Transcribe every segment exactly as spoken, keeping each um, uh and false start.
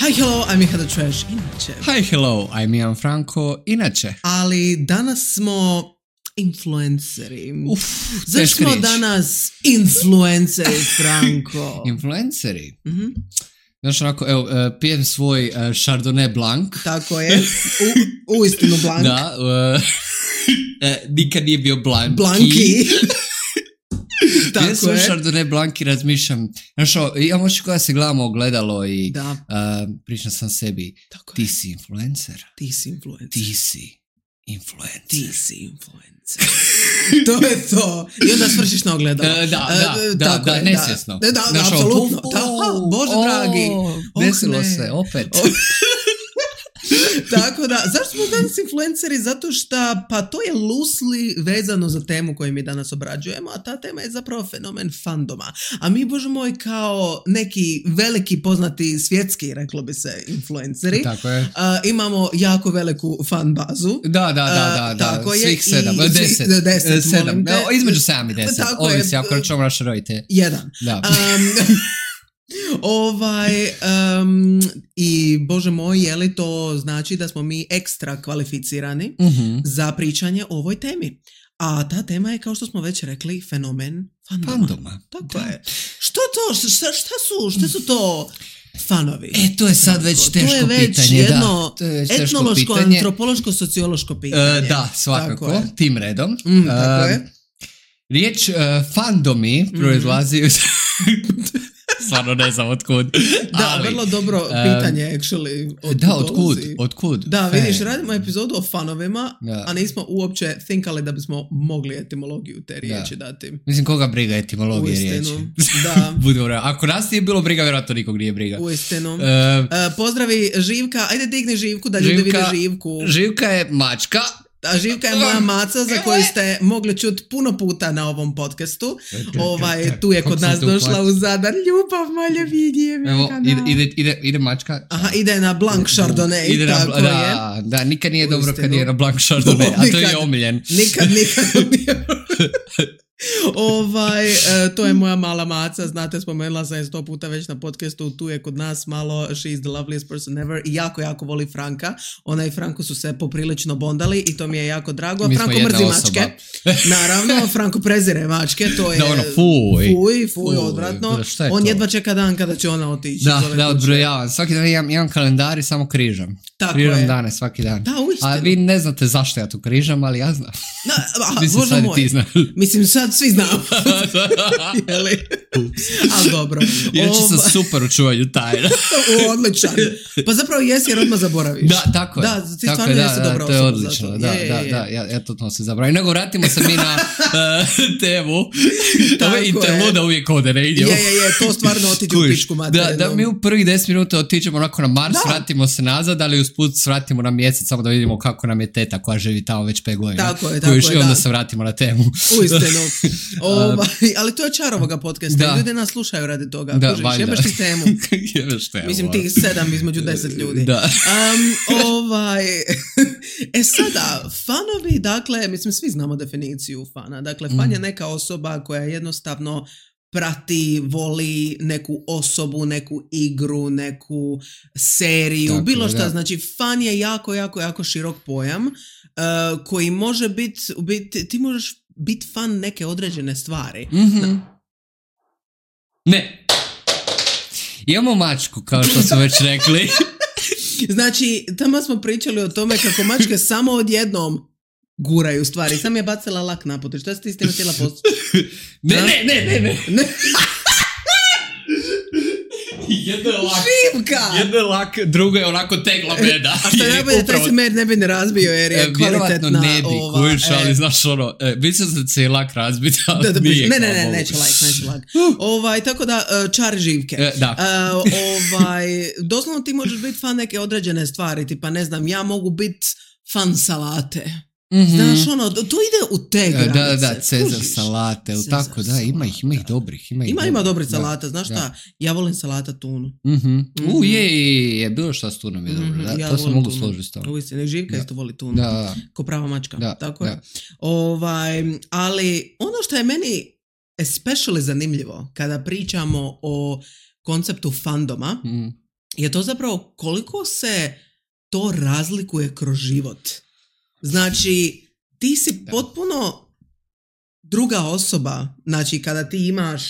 Hi, hello, I'm Miha the Trash, inače. Hi, hello, I'm Ian Franko, inače. Ali danas smo influenceri. Uf, Zašto smo danas influenceri, Franko? Influenceri? Mm-hmm. Znaš, onako, evo, uh, pijem svoj uh, Chardonnay Blanc. Tako je, u, u istinu Blanc. Da, uh, uh, nikad nije bio Blanc. Blanki. Tako pijem svoj je. Chardonnay Blanc i razmišljam, znaš, ja možda kada se gledamo ogledalo i Da. uh, pričam sam sebi, Tako ti je. si influencer. Ti si influencer. Ti si influencer. Ti si influencer. To je to. I onda svršiš na ogledalo. Uh, da, da, Uh, da, tako da, je, nesvjesno. Da, da, Znaš, apsolutno. o, Da, ha, Bože o, dragi. Oh, desilo ne. se, opet. O, Tako da, zašto smo danas influenceri? Zato što, pa to je loosely vezano za temu koju mi danas obrađujemo, a ta tema je zapravo fenomen fandoma. A mi, Bože moj, kao neki veliki poznati svjetski, reklo bi se, influenceri, Tako je. uh, imamo jako veliku fan bazu. Da, da, da, da, Uh, da. tako je. Svih sedam, I- deset, svi- deset, sedam, molim te. no, između sedam i deset, Tako je. ovisi ako računamo naše roditelje. Jedan. Da. Um, ovaj um, i Bože moj, je li to znači da smo mi ekstra kvalificirani Mhm. za pričanje o ovoj temi? A ta tema je, kao što smo već rekli, fenomen fandoma. Fandoma. Tako Da. je. Što to? Šta, šta su? Šta su to fanovi? E, to je sad već To teško je već pitanje, jedno da. To je već teško etnološko, pitanje. antropološko, sociološko pitanje. E, da, Tako svakako, je. tim redom. Mm, tako E, je. Riječ uh, fandomi proizlazi iz... Stvarno ne znam otkud. Da, ali, vrlo dobro um, pitanje, actually. Od Da, otkud, dolazi. otkud. Da, Fan. vidiš, radimo epizodu o fanovima, Da. a nismo uopće thinkali da bismo mogli etimologiju te riječi dati. Mislim, koga briga etimologije riječi? Uistinu, da. Budemo realni. Ako nas nije bilo briga, vjerojatno nikog nije briga. Uistinu. E, Uh, pozdravi Živka, ajde digni Živku da ljudi vide Živku. Živka je mačka. A Živka je moja maca za koju ste mogli čuti puno puta na ovom podcastu. Ovaj, tu je kod Kako nas sam te došla uhvatio? u Zadar. Ljubav, malja vidje. Evo, ide, ide, ide, ide mačka. Aha, ide na Blanc Chardonnay, Ide na, tako je. da, da, nikad nije dobro Uistinu. kad je na Blanc Chardonnay, a to je Nikad. omiljen. Nikad, nikad nije. Ovaj, e, to je moja mala maca, znate, spomenula sam je sto puta već na podcastu, tu je kod nas malo, she is the loveliest person ever i jako, jako voli Franka. Ona i Franko su se poprilično bondali i to mi je jako drago. Mi smo Franko jedna mrzi osoba. mačke. Naravno, Franko prezire mačke, to je... Da, ono, fuj. Fuj, fuj, Fuj, odvratno. šta je On to? jedva čeka dan kada će ona otići. Da, iz ove da, kuće. odbrojavam. Svaki dan imam, imam kalendar i samo križam. Tako križam je. dane svaki dan. Da, uistinu. A vi ne znate zašto ja tu križam, ali ja znam. Da, a, Mislim, Bože sad i moj. ti znaš. Mislim, sad svi znamo. Jeli? Ali dobro. Inače sam Ova- super u čuvanju tajna. U, odličan. Pa zapravo jesi jer odmah zaboraviš. Da, tako je. Da, ti tako stvarno je, jesi da, dobra da, to je osoba odlično. za to. Da, Je, je, da, je. da, ja, ja to se zaboravim. Nego vratimo se mi na uh, temu. Tako Ove je. interluda uvijek ode negdje. Je, je, je, to stvarno otiđe u Kužiš, pičku da, materinu. da mi u prvih deset minuta otiđemo onako na Mars, Da. vratimo se nazad, ali usput svratimo na mjesec samo da vidimo kako nam je teta koja živi tamo već pet godina. Tako je, tako Kužiš, je, i onda da. se vratimo na temu. Uistinu. Ovaj, ali to je čar ovoga podcasta. Da. Ljudi nas slušaju radi toga. Da, Kužiš, valjda. jebeš ti temu. Jebeš temu. Mislim, tih sedam između deset ljudi. Da. Um, ovaj, e sada, fanovi, dakle, mislim, svi znamo definiciju fana. Dakle, fan Mm. je neka osoba koja jednostavno prati, voli neku osobu, neku igru, neku seriju, Tako bilo je, šta. da. Znači, fan je jako, jako, jako širok pojam uh, koji može biti, bit, ti možeš biti fan neke određene stvari. Mhm. Ne. Imamo mačku, kao što smo već rekli. Znači, tamo smo pričali o tome kako mačke samo odjednom guraju stvari. Sam je bacila lak na pot. Šta si ti s tim htjela postići? Ne, Da? ne, ne, ne, ne. Ne. Jedno je lak. Živka! Jedno je lak, drugo je onako tegla meda. A što je najbolje, taj Upravo- se med ne bi ne razbio jer je E, vjerovatno kvalitetna ne bi, ova... kužiš, ali e, znaš ono, e, mislim da će lak razbiti, ali da, da, nije. ne, ne, kao ne, mogu. neće lak, neće lak. Ovaj, tako da, e, čar živke. E, da. E, ovaj, doslovno ti možeš biti fan neke određene stvari, tipa ne znam, ja mogu biti fan salate. Mhm. Znaš, ono, to ide u te E, granice. Da, da, Cezar kužiš? salate, ili Cezar tako, da, ima ih, ima ih salata. dobrih. Ima, ih Ima, ima dobrih Da, salata, znaš da. šta? Ja volim salata tunu. Mhm. U, Mhm. je, je, je, bilo šta s tunom je dobro, Mhm, da, ja to se volim mogu tunu. složiti s tom. Uistinu, Živka Da. isto voli tunu. Da, da, Ko prava mačka. da, Tako da. je. Ovaj, ali ono što je meni especially zanimljivo kada pričamo o konceptu fandoma Mhm. je to zapravo koliko se to razlikuje kroz život. Znači, ti si potpuno druga osoba, znači kada ti imaš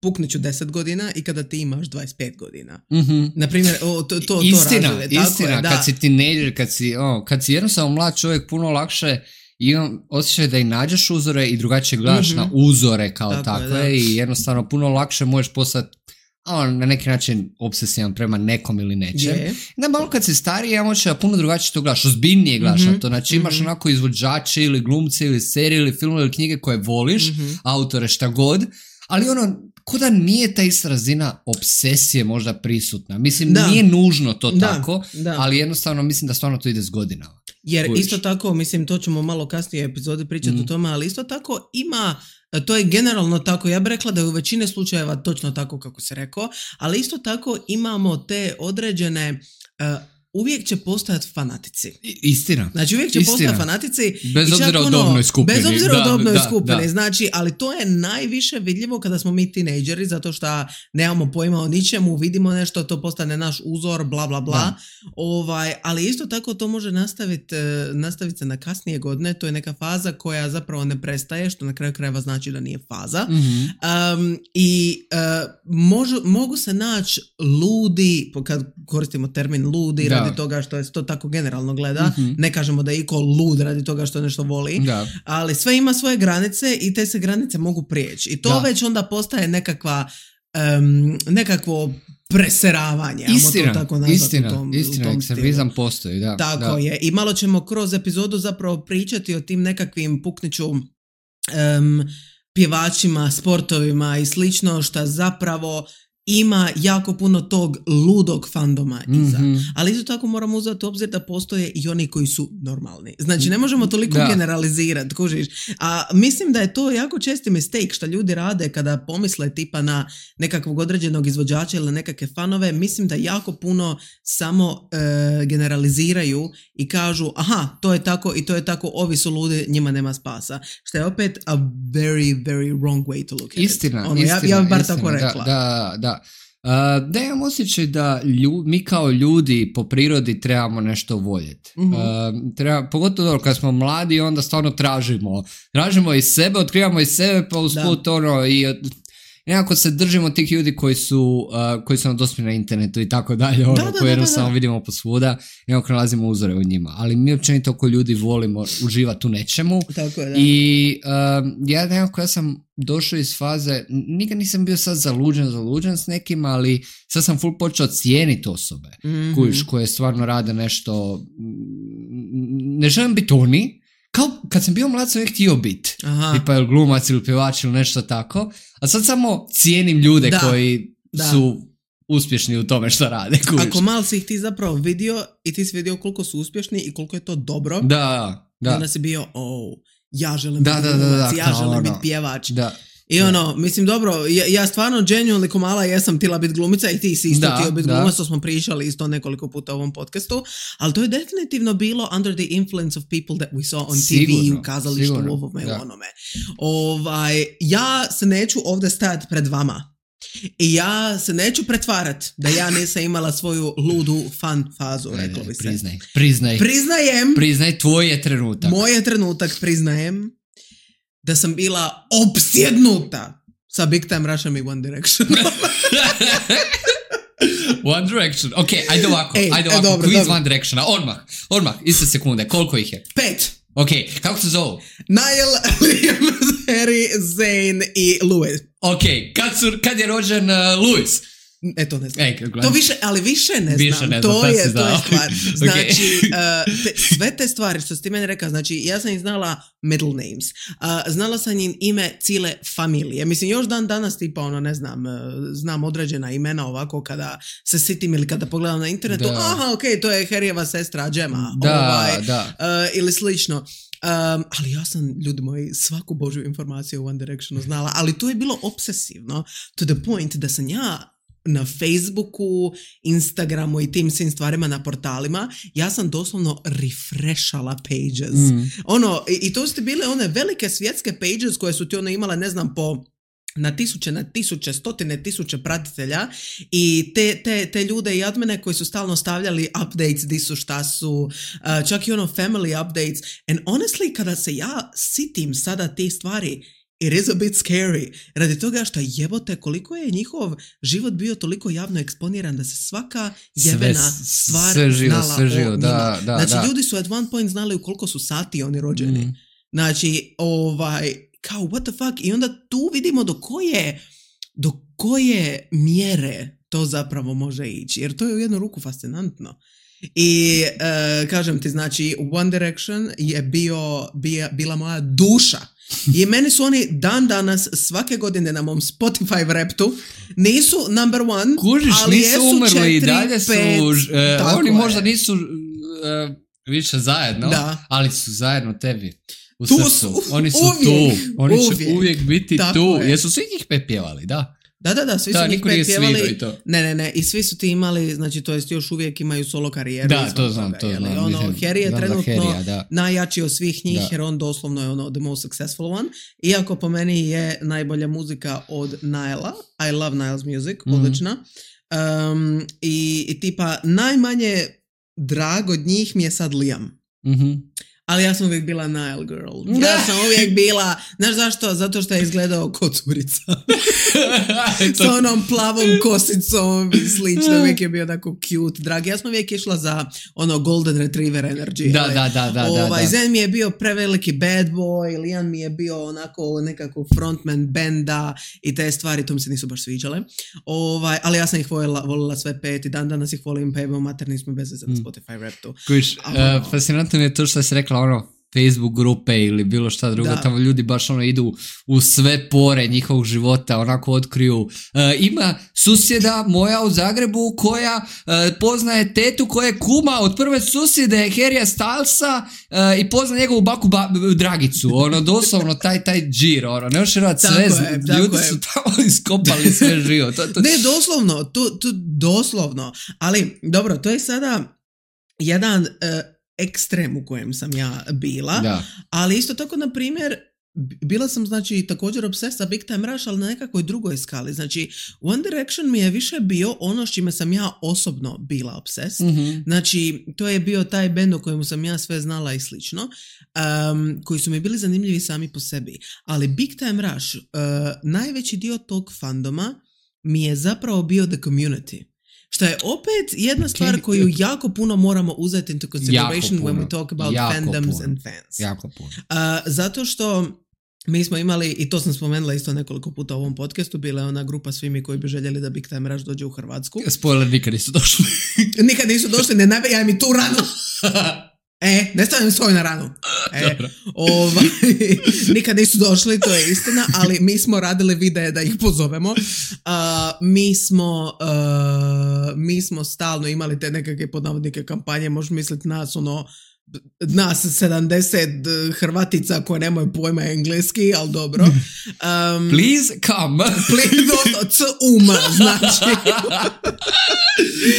pukniću deset godina i kada ti imaš dvadeset pet godina. Mm-hmm. Naprimjer, o, to, to, istina, to razuje. Istina, tako je, da. kad si teenager, kad si, o, kad si jednostavno mlad čovjek, puno lakše imam osjećaj da i nađeš uzore i drugačije gledaš mm-hmm. na uzore kao tako takve je, i jednostavno puno lakše možeš postati on, na neki način obsesivan prema nekom ili nečem. Yeah. Da malo kad si stariji, ja moći da puno drugačije to gledaš, ozbiljnije gledaš mm-hmm. na to. Znači imaš mm-hmm. onako izvođače ili glumce ili serije ili filmove ili knjige koje voliš, mm-hmm. autore šta god, ali ono, ko da nije ta ista razina obsesije možda prisutna. Mislim, da. Nije nužno to da, tako, da. Ali jednostavno mislim da stvarno to ide s godinama. Jer Kujiš. Isto tako, mislim, to ćemo malo kasnije epizode pričati mm. o tome, ali isto tako ima, to je generalno tako, ja bih rekla da je u većini slučajeva točno tako kako se rekao, ali isto tako imamo te određene... Uh, uvijek će postojati fanatici. Istina. Znači uvijek će Istina. postojati fanatici. Bez obzira o dobnoj skupini. Bez obzira da, o dobnoj da, skupini. Da. Znači, ali to je najviše vidljivo kada smo mi tinejdžeri, zato što nemamo pojma o ničemu, vidimo nešto, to postane naš uzor, bla, bla, bla. Ovaj, ali isto tako to može nastaviti nastavit se na kasnije godine. To je neka faza koja zapravo ne prestaje, što na kraju krajeva znači da nije faza. Mm-hmm. Um, I uh, možu, mogu se naći ludi, kad koristimo termin ludi, da. Radi toga što je to tako generalno gleda, mm-hmm. ne kažemo da je iko lud radi toga što nešto voli, da. Ali sve ima svoje granice i te se granice mogu prijeći. I to da. Već onda postaje nekakva um, nekakvo preseravanje. Istina, to tako nazvati, istina, u tom, istina, u tom ekstremizam postoji, da. Tako da. je. I malo ćemo kroz epizodu zapravo pričati o tim nekakvim pukniću um, pjevačima, sportovima i slično, što zapravo ima jako puno tog ludog fandoma iza. Mm-hmm. Ali isto tako moramo uzeti u obzir da postoje i oni koji su normalni. Znači ne možemo toliko da. generalizirati, kužiš. A mislim da je to jako česti mistake što ljudi rade kada pomisle tipa na nekakvog određenog izvođača ili nekakve fanove. Mislim da jako puno samo e, generaliziraju i kažu aha, to je tako i to je tako, ovi su ludi, njima nema spasa. Što je opet a very, very wrong way to look at istina, it. Ono, istina, ja, ja bar istina, tako rekla. Da, da, da. Uh, da imam osjećaj da lju, mi kao ljudi po prirodi trebamo nešto voljeti. Mm-hmm. Uh, treba, pogotovo dobro, kad smo mladi onda stvarno tražimo. Tražimo iz sebe, otkrivamo iz sebe pa usput ono i nekako se držimo tih ljudi koji su, uh, koji su nam dostupni na internetu i tako dalje, ono, da, da, koji jednostavno da, da. vidimo posvuda i nekako nalazimo uzore u njima. Ali mi općenito ko ljudi volimo uživati u nečemu. Tako je, da. I uh, ja nekako ja sam došao iz faze, nikad nisam bio sad zaluđen, zaluđen s nekim, ali sad sam full počeo cijeniti osobe mm-hmm. kojiš, koje stvarno rade nešto, ne želim biti oni, kao kad sam bio mlad sam ih htio biti, tipa ili glumac ili pjevač ili nešto tako, a sad samo cijenim ljude da, koji da. su uspješni u tome što rade. Kužiš. Ako malo si ih ti zapravo vidio i ti si vidio koliko su uspješni i koliko je to dobro, da, da. onda si bio, oh, ja želim da, biti da, glumac, da, da, ja želim ono. biti pjevač. Da. I ono, mislim, dobro, ja, ja stvarno genuinely ko mala jesam tila biti glumica i ti si isto htio biti glumac, to smo pričali isto nekoliko puta u ovom podcastu, ali to je definitivno bilo under the influence of people that we saw on sigurno, T V, u kazalištu, u ovome, u onome. Ovaj, ja se neću ovdje stajati pred vama i ja se neću pretvarati da ja nisam imala svoju ludu fan fazu, reklo bi se. Priznaj, priznaj. Priznajem. Priznaj, tvoj je trenutak. Moj je trenutak, priznajem. Da sam bila opsjednuta sa Big Time Rushom i One Direction. One Direction. Ok, ajde ovako, Ej, ajde ovako. Dobro, quiz dobro. One Directiona, odmah, odmah, iste sekunde. Koliko ih je? Pet. Ok, kako se zovu? Niall, Liam, Harry, Zayn i Louis. Ok, kad, su, kad je rođen uh, Louis? E, to ne znam. Ej, to više, ali više ne više znam. Ne znam. To, je, to je stvar. Znači, okay. uh, te, sve te stvari što si ti meni rekao, znači, ja sam ih znala middle names. Uh, znala sam im ime cijele familije. Mislim, još dan danas tipa, ono, ne znam, uh, znam određena imena ovako kada se sitim ili kada pogledam na internetu. Da. Aha, ok, to je Harryjeva sestra Gemma. Da, ovaj, da. Uh, ili slično. Um, ali ja sam, ljudi moji, svaku božju informaciju o One Directionu znala, ali to je bilo obsesivno to the point da sam ja na Facebooku, Instagramu i tim svim stvarima na portalima, ja sam doslovno refrešala pages. Mm. Ono, i, i to su bile one velike svjetske pages koje su ti ono imale, ne znam, po na tisuće, na tisuće, stotine tisuće pratitelja i te, te, te ljude i admine koji su stalno stavljali updates, di su, šta su, uh, čak i ono family updates. And honestly, kada se ja sitim sada tih stvari, it is a bit scary. Radi toga što jebote koliko je njihov život bio toliko javno eksponiran da se svaka jebena sve, stvar sve živo, znala sve živo, o da, da, Znači da. ljudi su at one point znali u koliko su sati oni rođeni. Mm. Znači, ovaj, kao what the fuck? I onda tu vidimo do koje, do koje mjere to zapravo može ići. Jer to je u jednu ruku fascinantno. I uh, kažem ti, znači One Direction je bio, bija, bila moja duša. I meni su oni dan danas svake godine na mom Spotify Wrapped-u nisu number one, Kužiš, ali nisu jesu umrli četiri, i dalje su, pet, uh, oni je. možda nisu uh, više zajedno, da. Ali su zajedno tebi. U tu srcu. su, oni su uvijek, tu, oni uvijek. će uvijek biti tako tu. Je. Jesu svi njih pepjevali, da? Da, da, da, svi da, su njih pepjevali. Ne, ne, ne, i svi su ti imali, znači to jest još uvijek imaju solo karijeru. Da, to znam, to znam. Ono, mislim, Harry je trenutno Harrya, najjači od svih njih, da. jer on doslovno je ono the most successful one. Iako po meni je najbolja muzika od Nila. I love Nile's music, mm-hmm. odlična. Um, i, I tipa najmanje drag od njih mi je sad Liam. Mhm. Ali ja sam uvijek bila Nile girl. Ja sam uvijek bila, znaš zašto? Zato što je izgledao ko curica. Sa onom plavom kosicom i slično. Uvijek je bio tako cute, drag. Ja sam uvijek išla za ono golden retriever energy. Da, da, da, da. Ovaj, da, da. Zen mi je bio preveliki bad boy, Liam mi je bio onako nekako frontman benda i te stvari, to mi se nisu baš sviđale. Ovaj, ali ja sam ih volila, volila sve pet i dan danas ih volim, pa evo materni smo bez veze na Spotify Wrapped-u. Kuš, uh, fascinantno mi je to što si rekla ono Facebook grupe ili bilo šta drugo, da. Tamo ljudi baš ono idu u sve pore njihovog života, onako otkriju. E, ima susjeda moja u Zagrebu koja e, poznaje tetu koja je kuma od prve susjede Harrya Stylesa e, i pozna njegovu baku ba, Dragicu, ono doslovno taj, taj džir, ono, ne još rad sve, je, ljudi su tamo iskopali sve živo. To, to... Ne, doslovno, to, to doslovno, ali dobro, to je sada jedan... Uh, ekstrem u kojem sam ja bila, da. Ali isto tako, na primjer, bila sam, znači, također obses sa Big Time Rush, ali na nekakvoj drugoj skali. Znači, One Direction mi je više bio ono s čime sam ja osobno bila obses. Mm-hmm. Znači, to je bio taj bend o kojemu sam ja sve znala i slično, um, koji su mi bili zanimljivi sami po sebi. Ali Big Time Rush, uh, najveći dio tog fandoma mi je zapravo bio The Community. Što je opet jedna stvar koju jako puno moramo uzeti into consideration when we talk about jako fandoms puno. And fans. Jako puno. Uh, zato što mi smo imali, i to sam spomenula isto nekoliko puta u ovom podcastu, bila je ona grupa svi mi koji bi željeli da Big Time Rush dođe u Hrvatsku. Spoiler, nikad nisu došli. Nikad nisu došli, ne nabijaj mi tu ranu. E, ne stavljam svoj na ranu. E, ovaj, nikad nisu došli, to je istina, ali mi smo radili videe da ih pozovemo. Uh, mi smo uh, mi smo stalno imali te nekakve podnavodnike kampanje, možeš misliti nas ono nas sedamdeset Hrvatica koje nemaju pojma engleski, ali dobro. Um, please come. Please, no, c um, znači.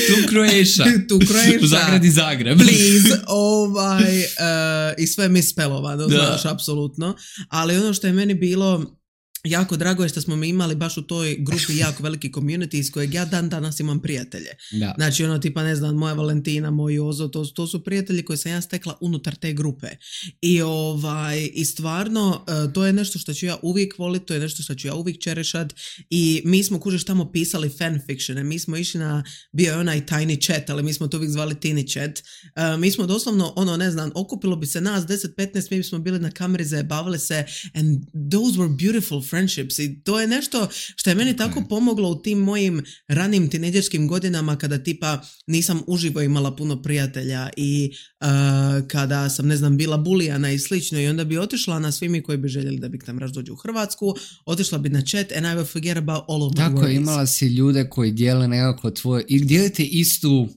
Tu Croatia. Tu Croatia. U Zagradi Zagreb. Please, ovaj, uh, i sve mi spelovano, znaš, apsolutno. Ali ono što je meni bilo jako drago je što smo mi imali baš u toj grupi jako veliki community iz kojeg ja dan danas imam prijatelje. Da. Znači ono tipa ne znam, moja Valentina, moj Ozo, to, to su prijatelji koje sam ja stekla unutar te grupe. I, ovaj, i stvarno to je nešto što ću ja uvijek voliti, to je nešto što ću ja uvijek čerešat i mi smo kužiš tamo pisali fanfictione, mi smo išli na, bio je onaj tiny chat, ali mi smo to uvijek zvali tiny chat. Uh, mi smo doslovno ono ne znam, okupilo bi se nas deset petnaest, mi smo bili na kameri, zajebavali se and those were beautiful friendships i to je nešto što je meni tako pomoglo u tim mojim ranim tinejdžerskim godinama kada tipa nisam uživo imala puno prijatelja i uh, kada sam ne znam bila bulijana i slično i onda bi otišla na svi mi koji bi željeli da Big Time Rush dođe u Hrvatsku, otišla bi na chat and I will forget about all of my Tako, worries. imala si ljude koji dijele nekako tvoje i dijelite istu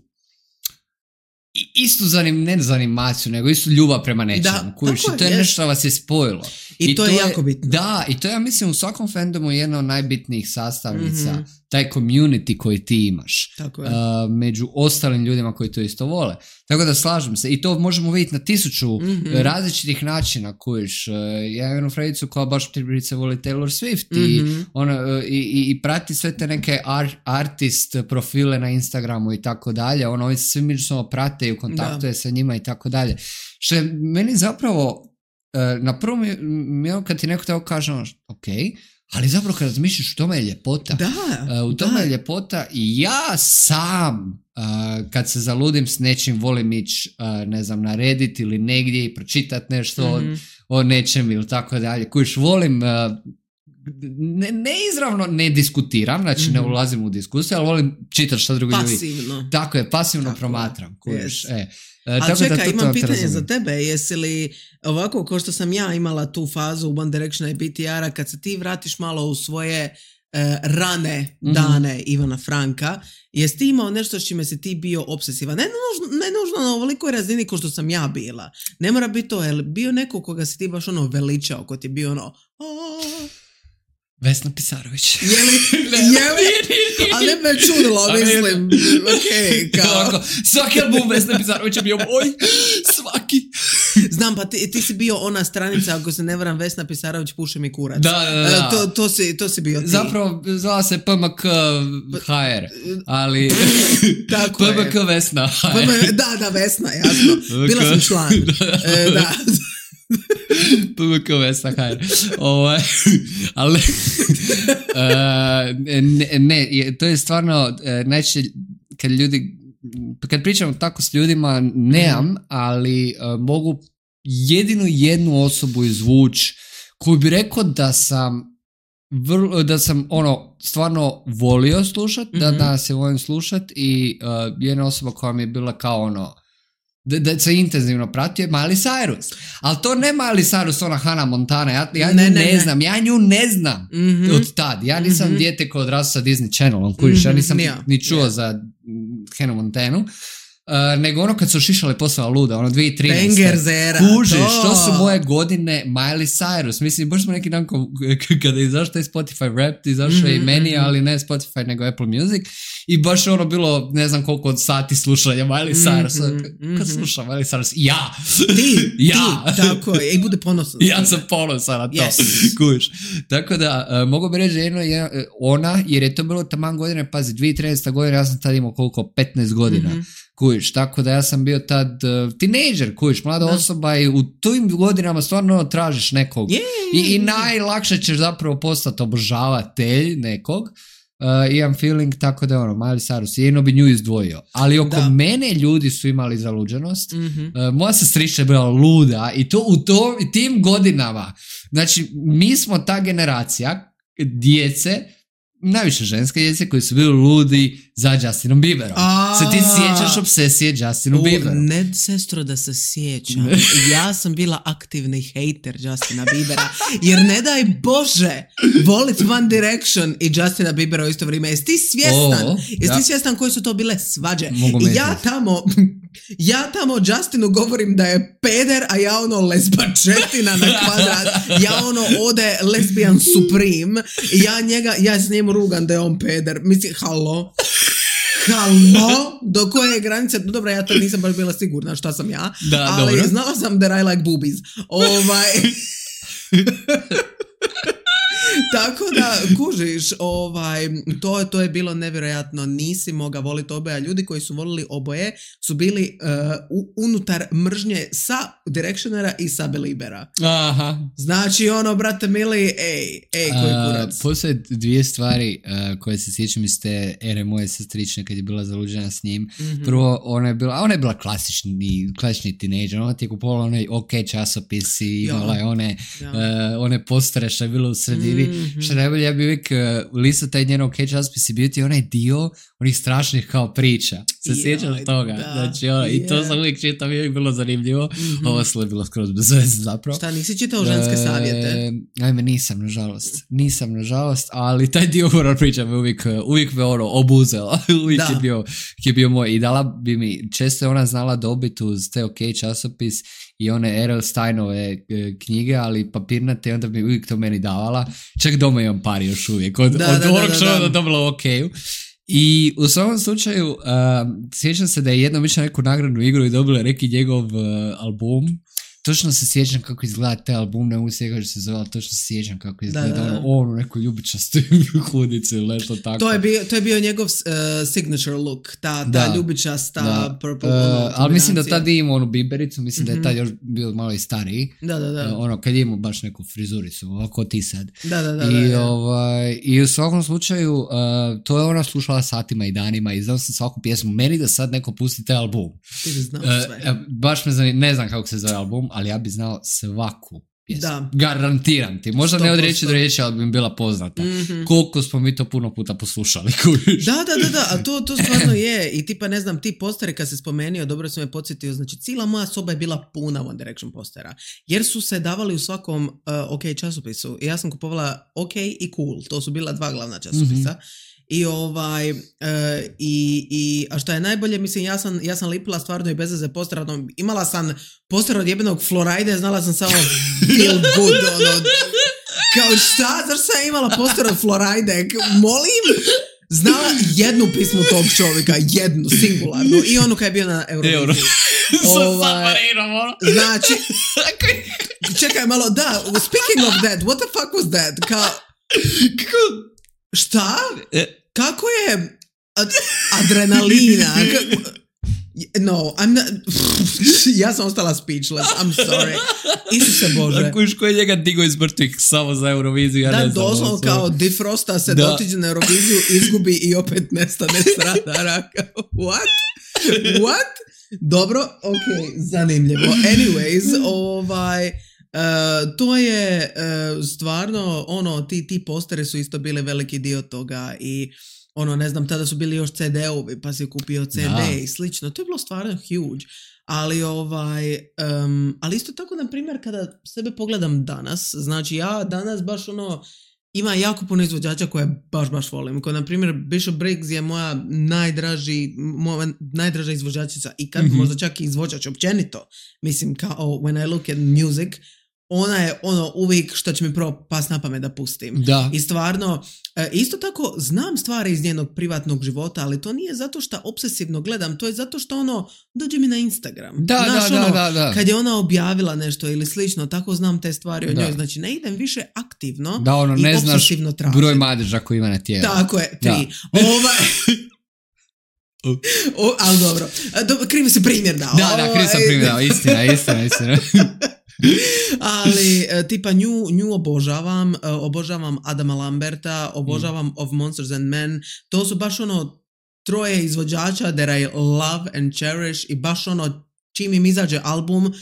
istu zanim, ne zanimaciju, nego istu ljubav prema nečemu. Kužiš, i to je yes. nešto što vas je spojilo. I, I to, to je jako bitno. Da, i to ja mislim u svakom fandomu jedna od najbitnijih sastavnica. Mm-hmm. taj community koji ti imaš. Tako je. Uh, među ostalim ljudima koji to isto vole. Tako da slažem se. I to možemo vidjeti na tisuću mm-hmm. različitih načina kojiš. Uh, ja imam jednu fredicu koja baš pribrice voli Taylor Swift mm-hmm. i, ona, uh, i, i, i prati sve te neke ar- artist profile na Instagramu i tako dalje. Ono, oni se svi međusobno prate i u kontaktu je sa njima i tako dalje. Što je meni zapravo uh, na prvom mi kad ti neko tako kaže ono, ok, ali zapravo kad razmišljaš u tome je ljepota. Da, uh, u tome da. je ljepota i ja sam uh, kad se zaludim s nečim volim ići uh, ne znam, na Reddit ili negdje i pročitati nešto mm-hmm. o, o nečem ili tako dalje. Kojiš volim uh, ne, ne izravno ne diskutiram, znači mm-hmm. ne ulazim u diskusiju, ali volim čitati što drugi ljudi. Pasivno. Tako je, pasivno tako promatram. Kojiš, yes. e. A tako čekaj, da to, imam to pitanje razumim. Za tebe, jesi li ovako kao što sam ja imala tu fazu u One Directiona i B T R-a, kad se ti vratiš malo u svoje uh, rane dane mm-hmm. Ivana Franka, jesi ti imao nešto s čime si ti bio obsesivan? Ne nužno, ne nužno na ovolikoj razini kao što sam ja bila. Ne mora biti to, je bio neko koga si ti baš ono veličao, ko ti je bio ono... Aaa. Vesna Pisarović. Je li? Je li? Ali ne me čudilo, mislim. Okay, kao. Svaki album Vesna Pisarović je bio moj. Svaki. Znam, pa ti, ti si bio ona stranica, ako se ne varam, Vesna Pisarović puše mi kurac. Da, da, da. To, to, si, to si bio ti. Zapravo zvala se P M K H R, ali tako P M K je. Vesna H R. Da, da, Vesna, jasno. Bila sam član. E, da. P M K Vesna H R. Ovaj, ali uh, ne, ne, to je stvarno uh, najčešće kad ljudi, kad pričam tako s ljudima nemam, ali uh, mogu jedinu jednu osobu izvući koju bi rekao da sam vrlo, da sam ono stvarno volio slušat, mm-hmm. da danas je volim slušat i uh, jedna osoba koja mi je bila kao ono Da, da se intenzivno pratio je Miley Cyrus. Ali to ne Miley Cyrus, ona Hannah Montana. Ja, ja ne, nju ne, ne znam. Ja nju ne znam mm-hmm. od tad. Ja nisam mm-hmm. dijete koje odrastao sa Disney Channelom. Kužiš, mm-hmm. ja nisam yeah. ni čuo yeah. za Hannah Montanu. Uh, nego ono kad su šišale postala luda, ono dvije tisuće trinaeste. Bengerzera. Kužiš, to. to su moje godine Miley Cyrus. Mislim, baš smo neki dan kada je izašao taj Spotify Rap, izašao mm-hmm. i meni, ali ne Spotify nego Apple Music. I baš je ono bilo, ne znam koliko od sati slušanja Miley Cyrus. Mm-hmm. Kad slušam Miley Cyrus? Ja! Ti! ja! Ti, tako je. I bude ponosan. Ja sam ponosan na to. Yes. Kužiš. Tako da, uh, mogu bi reći jedno, jedna, ona, jer je to bilo taman godine, pazi, dvije tisuće trinaeste. godine, ja sam tad imao koliko, petnaest godina. Mm-hmm. Kujiš, tako da ja sam bio tad uh, tinejdžer, kujiš, mlada da. osoba i u tim godinama stvarno tražiš nekog yeah. I, i najlakše ćeš zapravo postati obožavatelj nekog. Uh, imam feeling tako da ono, Miley Cyrus, jedno bi nju izdvojio, ali oko da. mene ljudi su imali zaluđenost, mm-hmm. uh, moja sestrična je bila luda i to u to, tim godinama, znači mi smo ta generacija djece, najviše ženske djece koji su bili ludi za Justinom Bieberom. A, se ti sjećaš obsesije Justinu Bieberom? Ne, sestro, da se sjećam. Ja sam bila aktivni hejter Justina Biebera, jer ne daj Bože volit One Direction i Justina Biebera u isto vrijeme. Jesi ti svjestan? Oh, Jesi ja. ti svjestan koji su to bile svađe? I ja tamo ja tamo Justinu govorim da je peder, a ja ono lesbačetina na kvadrat. Ja ono ode lesbian supreme i ja njega, ja s njemu rugam da je on peder. Mislim, halo? Halo? Do koje je granice? No dobro, ja to nisam baš bila sigurna šta sam ja. Da, ali dobro. Znala sam that I like boobies. Ovaj... Tako da, kužiš, ovaj, to, to je bilo nevjerojatno, nisi mogao voliti oboje, a ljudi koji su volili oboje su bili uh, unutar mržnje sa Directionera i sa Beliebera. Aha. Znači ono, brate mili, ej, ej, koji kurac. Uh, postoje dvije stvari uh, koje se sjećam iz te ere moje sestrične kad je bila zaluđena s njim. Mm-hmm. Prvo, ona je bila, ona je bila klasični, klasični tinejdžer, ona ti je kupovala onaj OK časopisi, imala je one, ja. uh, one postere što je bilo u sredini. Mm-hmm. Što najbolje, ja bi uvijek uh, listao taj njen OK časopis i bio ti onaj dio onih strašnih kao priča. Se yeah, sjećaš toga? Da, znači, ono, yeah. I to sam uvijek čitao, mi je bilo zanimljivo. Mm-hmm. Ovo sve je bilo skroz bez veze zapravo. Šta, nisi čitao ženske savjete? E, ajme, nisam, nažalost. Nisam, nažalost, ali taj dio horror priča me uvijek, uvijek me ono obuzela. uvijek je bio, je bio moj. I dala bi mi, često je ona znala dobiti uz te OK časopis i one R L Steinove knjige, ali papirnate, onda bi uvijek to meni davala. Čak doma imam par još uvijek, od, da, od da, onog da, što da, je da. dobila u okeju. I u svakom slučaju, uh, sjećam se da je jednom išla neku nagradnu igru i dobila neki njegov uh, album. Točno se sjećam kako izgleda taj album, ne mogu se kako se zove, ali točno se sjećam kako izgleda da, da, da. on u nekoj ljubičastoj hudici ili nešto tako. To je bio, to je bio njegov uh, signature look, ta, ta da, ljubičasta da. purple. Uh, ono, ali mislim da tad je imao onu bibericu, mislim mm-hmm. da je tad još bio malo i stariji. Da, da, da. Uh, ono, kad je imao baš neku frizuricu, ovako ti sad. Da, da, da. I, da, da. Ovaj, i u svakom slučaju, uh, to je ona slušala satima i danima i znao sam svaku pjesmu. Meni da sad neko pusti taj album. Ti bi znao sve. Uh, baš me zanima, ne znam kako se zove album, ali ja bi znao svaku pjesmu. Da. Garantiram ti. Možda ne od riječi do riječi, ali bi mi bila poznata. Mm-hmm. Koliko smo mi to puno puta poslušali. Da, da, da, da. A to, to stvarno je. I tipa, ne znam, ti postere kad se spomenio, dobro sam me podsjetio, znači cijela moja soba je bila puna One Direction postera. Jer su se davali u svakom uh, OK časopisu. I ja sam kupovala OK i Cool. To su bila dva glavna časopisa. Mm-hmm. I ovaj, uh, i, i, a što je najbolje, mislim, ja sam, ja sam lipila stvarno i bez veze poster, ono, imala sam poster od jebenog Floride, znala sam samo feel good, ono, kao šta, zašto sam imala poster od Floride, molim, znala jednu pismu tog čovjeka, jednu, singularnu, i onu kad je bio na Euroviziji. Ovaj, znači, čekaj malo, da, speaking of that, what the fuck was that, kao, šta? Kako je ad- adrenalina? No, I'm not... ja sam ostala speechless. I'm sorry. Isuse Bože. A kuš ko je njega digo iz mrtvih samo za Euroviziju? Ja da, ne znam, doslovno kao Defrosta se da. dotiđe na Euroviziju, izgubi i opet nestane s radara. What? What? Dobro, ok, zanimljivo. Anyways, ovaj... Uh, to je uh, stvarno ono, ti, ti posteri su isto bili veliki dio toga i ono, ne znam, tada su bili još ce de ovi pa si kupio ce de da. I slično, to je bilo stvarno huge, ali ovaj um, ali isto tako, na primjer, kada sebe pogledam danas, znači ja danas baš ono, ima jako puno izvođača koje baš baš volim, kao na primjer Bishop Briggs je moja najdraži moja najdraža izvođačica ikad, mm-hmm. možda čak i izvođač općenito, mislim, kao when I look at music, ona je ono uvijek što će mi prvo pas na pamet da pustim. Da. I stvarno, isto tako znam stvari iz njenog privatnog života, ali to nije zato što obsesivno gledam, to je zato što ono, dođe mi na Instagram. Da, Znaš, da, ono, da, da. kad je ona objavila nešto ili slično, tako znam te stvari o njoj. Znači ne idem više aktivno da, ono, i ne obsesivno znaš tražim. broj madeža koji ima na tijelu. Tako je, tri. Ovaj... o, ali dobro, krivi si primjer dao. Da, da, krivi sam primjer dao, istina, istina, istina. Ali tipa nju, nju obožavam, obožavam Adama Lamberta, obožavam mm. Of Monsters and Men, to su baš ono troje izvođača that I love and cherish i baš ono čim im izađe album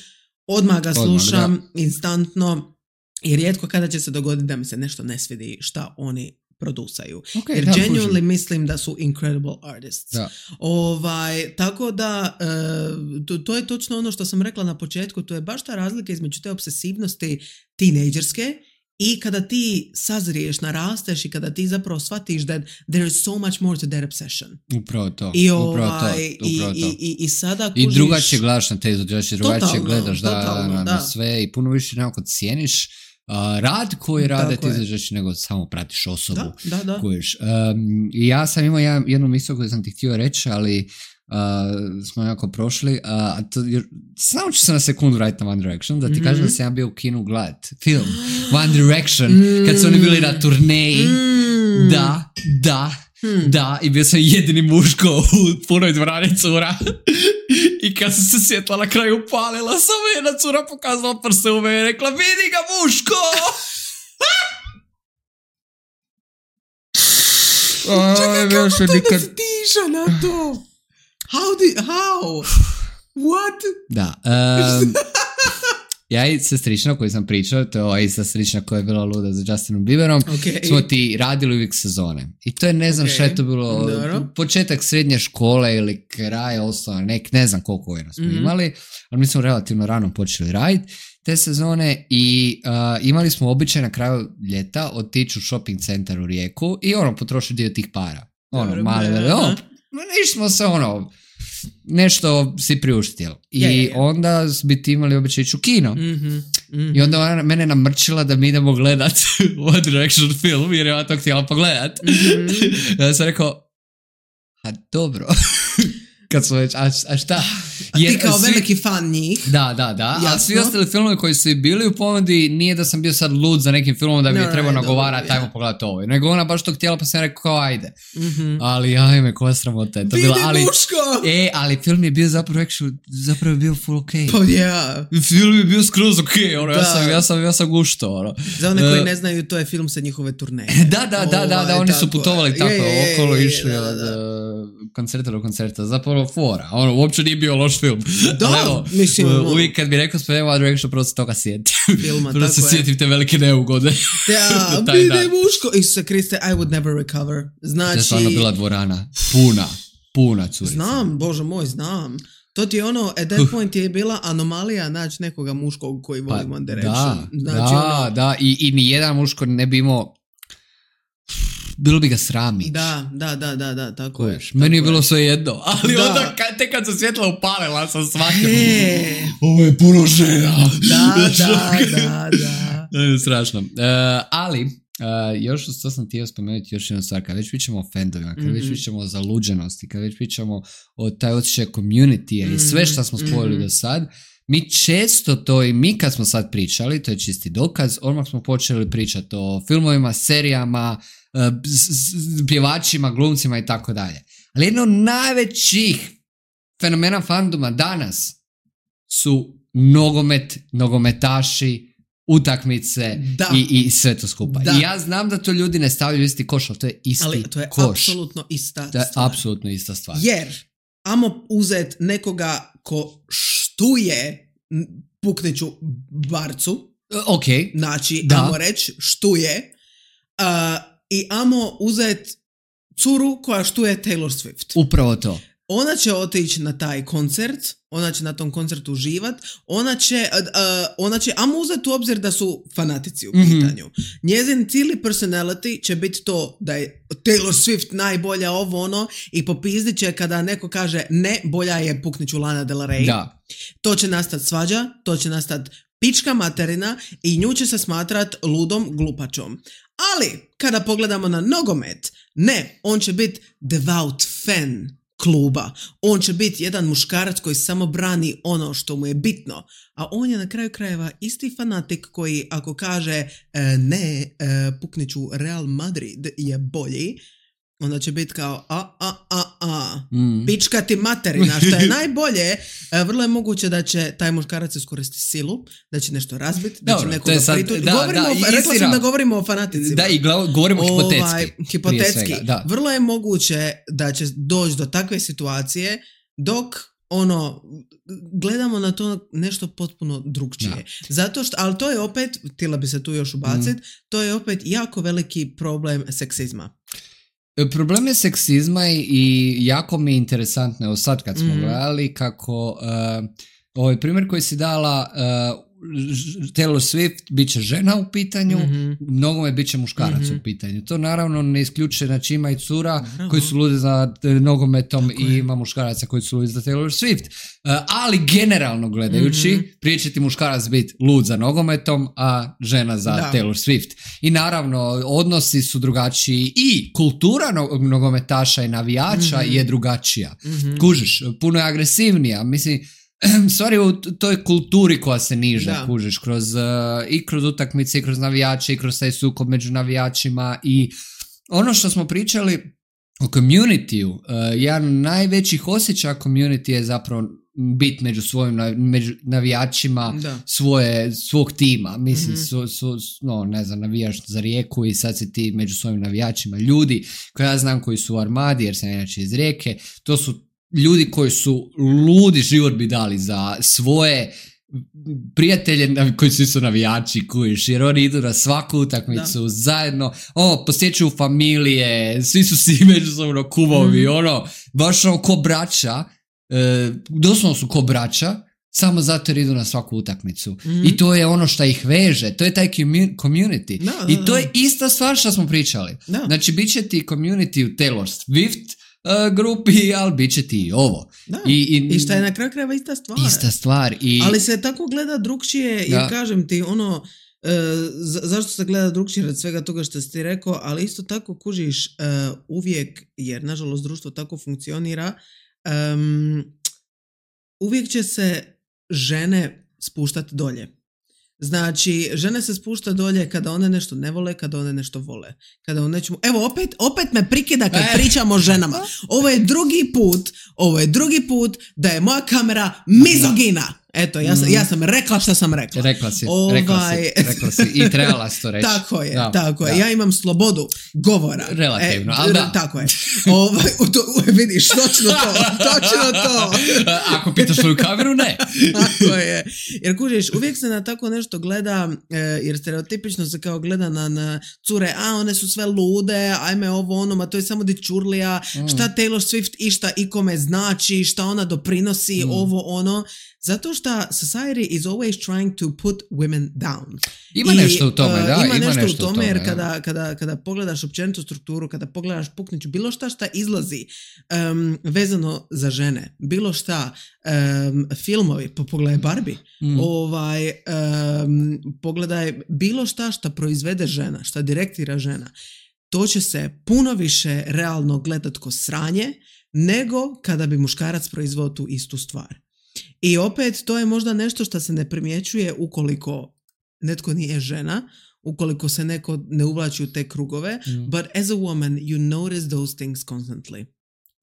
odmah ga slušam odmah, instantno i rijetko kada će se dogoditi da mi se nešto ne svidi šta oni producaju. Okay, jer genuinely pužim. Mislim da su incredible artists. Da. Ovaj, tako da uh, to, to je točno ono što sam rekla na početku, to je baš ta razlika između te obsesivnosti tinejdžerske i kada ti sazriješ, narasteš i kada ti zapravo shvatiš that there is so much more to that obsession. Upravo to. I, upravo ovaj, to, upravo i, to. i, i, i sada kužiš... I drugačije gledaš na te izvođače, drugačije totalno, gledaš da, totalno, na, da. na sve i puno više nekako cijeniš Uh, rad koji rade ti izvođači nego samo pratiš osobu. Da, da, da. Kojiš. Um, I ja sam imao jedan, jednu misao koju sam ti htio reći, ali uh, smo jako prošli. Uh, a to, jer, samo ću se na sekundu vratiti na One Direction, da ti mm-hmm. kažem da sam ja bio u kinu gledat film One Direction, mm. kad su oni bili na turneji. Mm. Da, da, hmm. da, i bio sam jedini muško u punoj dvorani cura. I kad sam se svjetla na kraju upalila, samo jedna cura pokazala prste u mene i rekla, vidi ga muško! Čekaj, kako to nikad... da stiša na to? How di... How? What? Da. Um, ja i sestrična koju sam pričao, to je ova ista sestrična koja je bila luda za Justinom Bieberom, okay. smo ti radili uvijek sezone. I to je, ne znam okay. šta je to bilo, Dobro. početak srednje škole ili kraj osnovne, nek, ne znam koliko godina smo mm-hmm. imali, ali mi smo relativno rano počeli raditi te sezone i uh, imali smo običaj na kraju ljeta otići u shopping centar u Rijeku i ono, potrošiti dio tih para. Ono, Dobro, male, ne, ono, išli smo se ono, nešto si priuštio. I je, je, je. onda bi ti imali običaj ići u kino. Mm-hmm, mm-hmm. I onda ona mene namrčila da mi idemo gledat One Direction film, jer ja to htjela pogledat. Mm-hmm. Ja sam rekao, a dobro... Kad su već, a, a šta? A ti kao svi, veliki fan njih. Da, da, da. Jasno. A svi ostali filmovi koji su bili u ponudi, nije da sam bio sad lud za nekim filmom da bi no, je trebao no, nagovarati, ajmo yeah. pogledati ovo. Nego ona baš to htjela, pa sam rekao kao ajde. Mm-hmm. Ali ajme, koja sramota je to bila. Ali, muško! E, ali film je bio zapravo, actually, zapravo je bio full ok. Pa oh, yeah. Film je bio skroz ok, ono, ja sam, ja sam, ja sam gušto, ono. Za one koji uh, ne znaju, to je film sa njihove turneje. Da, da, da, da, da, oni su putovali tako je, okolo, je, išli od koncerta do koncerta. Zapravo fora. Ono, uopće nije bio loš film. Da, evo, mislim. Uvijek kad bi rekao spomenuo One Direction, prvo se toga sjetim. Filma, prvo se sjetim te velike neugode. Ja, bide muško. Isuse Kriste, I would never recover. Znači... To je stvarno bila dvorana. Puna, puna curica. Znam, bože moj, znam. To ti je ono, at that point je bila anomalija naći nekoga muškog koji voli pa, One Direction. Da, znači, da, ono, da. I, i nijedan muško ne bi imao... Bilo bi ga srami. Da, da, da, da, da, tako je. Meni je bilo sve jedno, ali da. Onda kad, tek kad se svjetla upalila sam shvatio. Hey. Ovo je puno žena. Da, da, da, da. To je strašno. Uh, ali, uh, još što sam htio spomenuti još jednu stvar, kad već pričamo o fandovima, kad mm-hmm. već pričamo o zaluđenosti, kad već pričamo o taj osjećaj community mm-hmm. i sve što smo spojili mm-hmm. do sad, mi često to i mi kad smo sad pričali, to je čisti dokaz, odmah smo počeli pričati o filmovima, serijama, pjevačima, glumcima i tako dalje. Ali jedno od najvećih fenomena fandoma danas su nogomet, nogometaši, utakmice i, i sve to skupa. Da. I ja znam da to ljudi ne stavljaju isti koš, ali to je isti koš. Ali to je koš. apsolutno ista to je stvar. apsolutno ista stvar. Jer, amo uzet nekoga ko štuje pukneću barcu, ok, znači, da. amo reći štuje, uh, i amo uzet curu koja štuje Taylor Swift. Upravo to. Ona će otići na taj koncert, ona će na tom koncertu uživat, ona će, uh, ona će, amo uzeti u obzir da su fanatici u pitanju. Mm-hmm. Njezin cijeli personality će biti to da je Taylor Swift najbolja ovo ono i popizdit će kada neko kaže ne, bolja je pukniću Lana Del Rey. Da. To će nastati svađa, to će nastati pička materina i nju će se smatrat ludom glupačom. Ali, kada pogledamo na nogomet, ne, on će biti devout fan kluba. On će biti jedan muškarac koji samo brani ono što mu je bitno. A on je na kraju krajeva isti fanatik koji ako kaže e, ne, e, pukniću Real Madrid je bolji, onda će biti kao a, a, a, a, mm. pička ti materina, što je najbolje, vrlo je moguće da će taj muškarac iskoristiti silu, da će nešto razbiti, da će nekoga prituti. Rekla sam da govorimo o fanaticima. Da, i glav, govorimo ovaj, hipotetski. Hipotetski. Vrlo je moguće da će doći do takve situacije dok ono, gledamo na to nešto potpuno drugčije. Da. Zato što, ali to je opet, htjela bi se tu još ubaciti, mm. to je opet jako veliki problem seksizma. Problem je seksizma i jako mi je interesantno, evo sad kad smo mm. gledali kako uh, ovaj primjer koji si dala uh, Taylor Swift bit će žena u pitanju, mm-hmm. mnogome bit će muškarac mm-hmm. u pitanju. To naravno ne isključuje, znači ima i cura naravno. Koji su ludi za nogometom tako i je. Ima muškaraca koji su ludi za Taylor Swift. Uh, ali generalno gledajući, mm-hmm. prije će ti muškarac biti lud za nogometom, a žena za da. Taylor Swift. I naravno, odnosi su drugačiji i kultura no- nogometaša i navijača mm-hmm. je drugačija. Mm-hmm. Kužiš, puno je agresivnija. Mislim, stvari u toj kulturi koja se niže, da. Kužiš, kroz, uh, i kroz utakmice, i kroz navijače, i kroz taj sukob među navijačima i ono što smo pričali o community-u, uh, jedan najvećih osjećaja community je zapravo biti među svojim među navijačima svoje, svog tima. Mislim, mm-hmm. su, su, no, ne znam, navijaš za Rijeku i sad si ti među svojim navijačima. Ljudi koje ja znam koji su u Armadi, jer sam inače iz Rijeke, to su ljudi koji su ludi život bi dali za svoje prijatelje koji su isto navijači, kujiš, jer oni idu na svaku utakmicu da. Zajedno, ono, posjećuju familije, svi su si međusobno kumovi, mm. ono, baš ono ko braća, e, doslovno su ko braća, samo zato jer idu na svaku utakmicu. Mm. I to je ono što ih veže, to je taj community. No, no, I to no. je ista stvar što smo pričali. No. Znači, bit će ti community u Taylor Swift, uh, grupi, ali bit će ti ovo. Da. I, i, I šta je na kraju krajeva ista stvar. Ista stvar. I... Ali se tako gleda drugčije, jer da. Kažem ti, ono, uh, za, zašto se gleda drugčije od svega toga što si ti rekao, ali isto tako kužiš uh, uvijek, jer nažalost društvo tako funkcionira, um, uvijek će se žene spuštati dolje. Znači, žene se spušta dolje kada one nešto ne vole, kada one nešto vole. Kada one nećemo... Evo, opet, opet me prikida kad pričamo o ženama. Ovo je drugi put, ovo je drugi put da je moja kamera mizogina. Eto, ja sam, ja sam rekla što sam rekla. Rekla si, ovaj... rekla si, rekla si. I trebala si to reći. Tako je, da, tako da. je. Ja imam slobodu govora. Relativno, e, ali da. Tako je. Ovaj, to, vidiš, točno to, točno to. Ako pitaš svoju kameru, ne. Tako je. Jer kužiš, uvijek se na tako nešto gleda, jer stereotipično se kao gleda na, na cure, a one su sve lude, ajme ovo ono, ma to je samo dičurlija, mm. šta Taylor Swift išta ikome znači, šta ona doprinosi, mm. ovo ono. Zato što society is always trying to put women down. Ima I, nešto u tome, da. Ima, ima nešto, nešto u tome, tome, jer kada, kada, kada pogledaš općenitu strukturu, kada pogledaš pukniću, bilo šta šta izlazi um, vezano za žene, bilo šta, um, filmovi, po pogledaj Barbie, mm. ovaj, um, pogledaj bilo šta šta proizvede žena, šta direktira žena, to će se puno više realno gledat ko sranje, nego kada bi muškarac proizveo tu istu stvar. I opet, to je možda nešto što se ne primjećuje ukoliko netko nije žena, ukoliko se neko ne uvlači u te krugove, mm. but as a woman you notice those things constantly.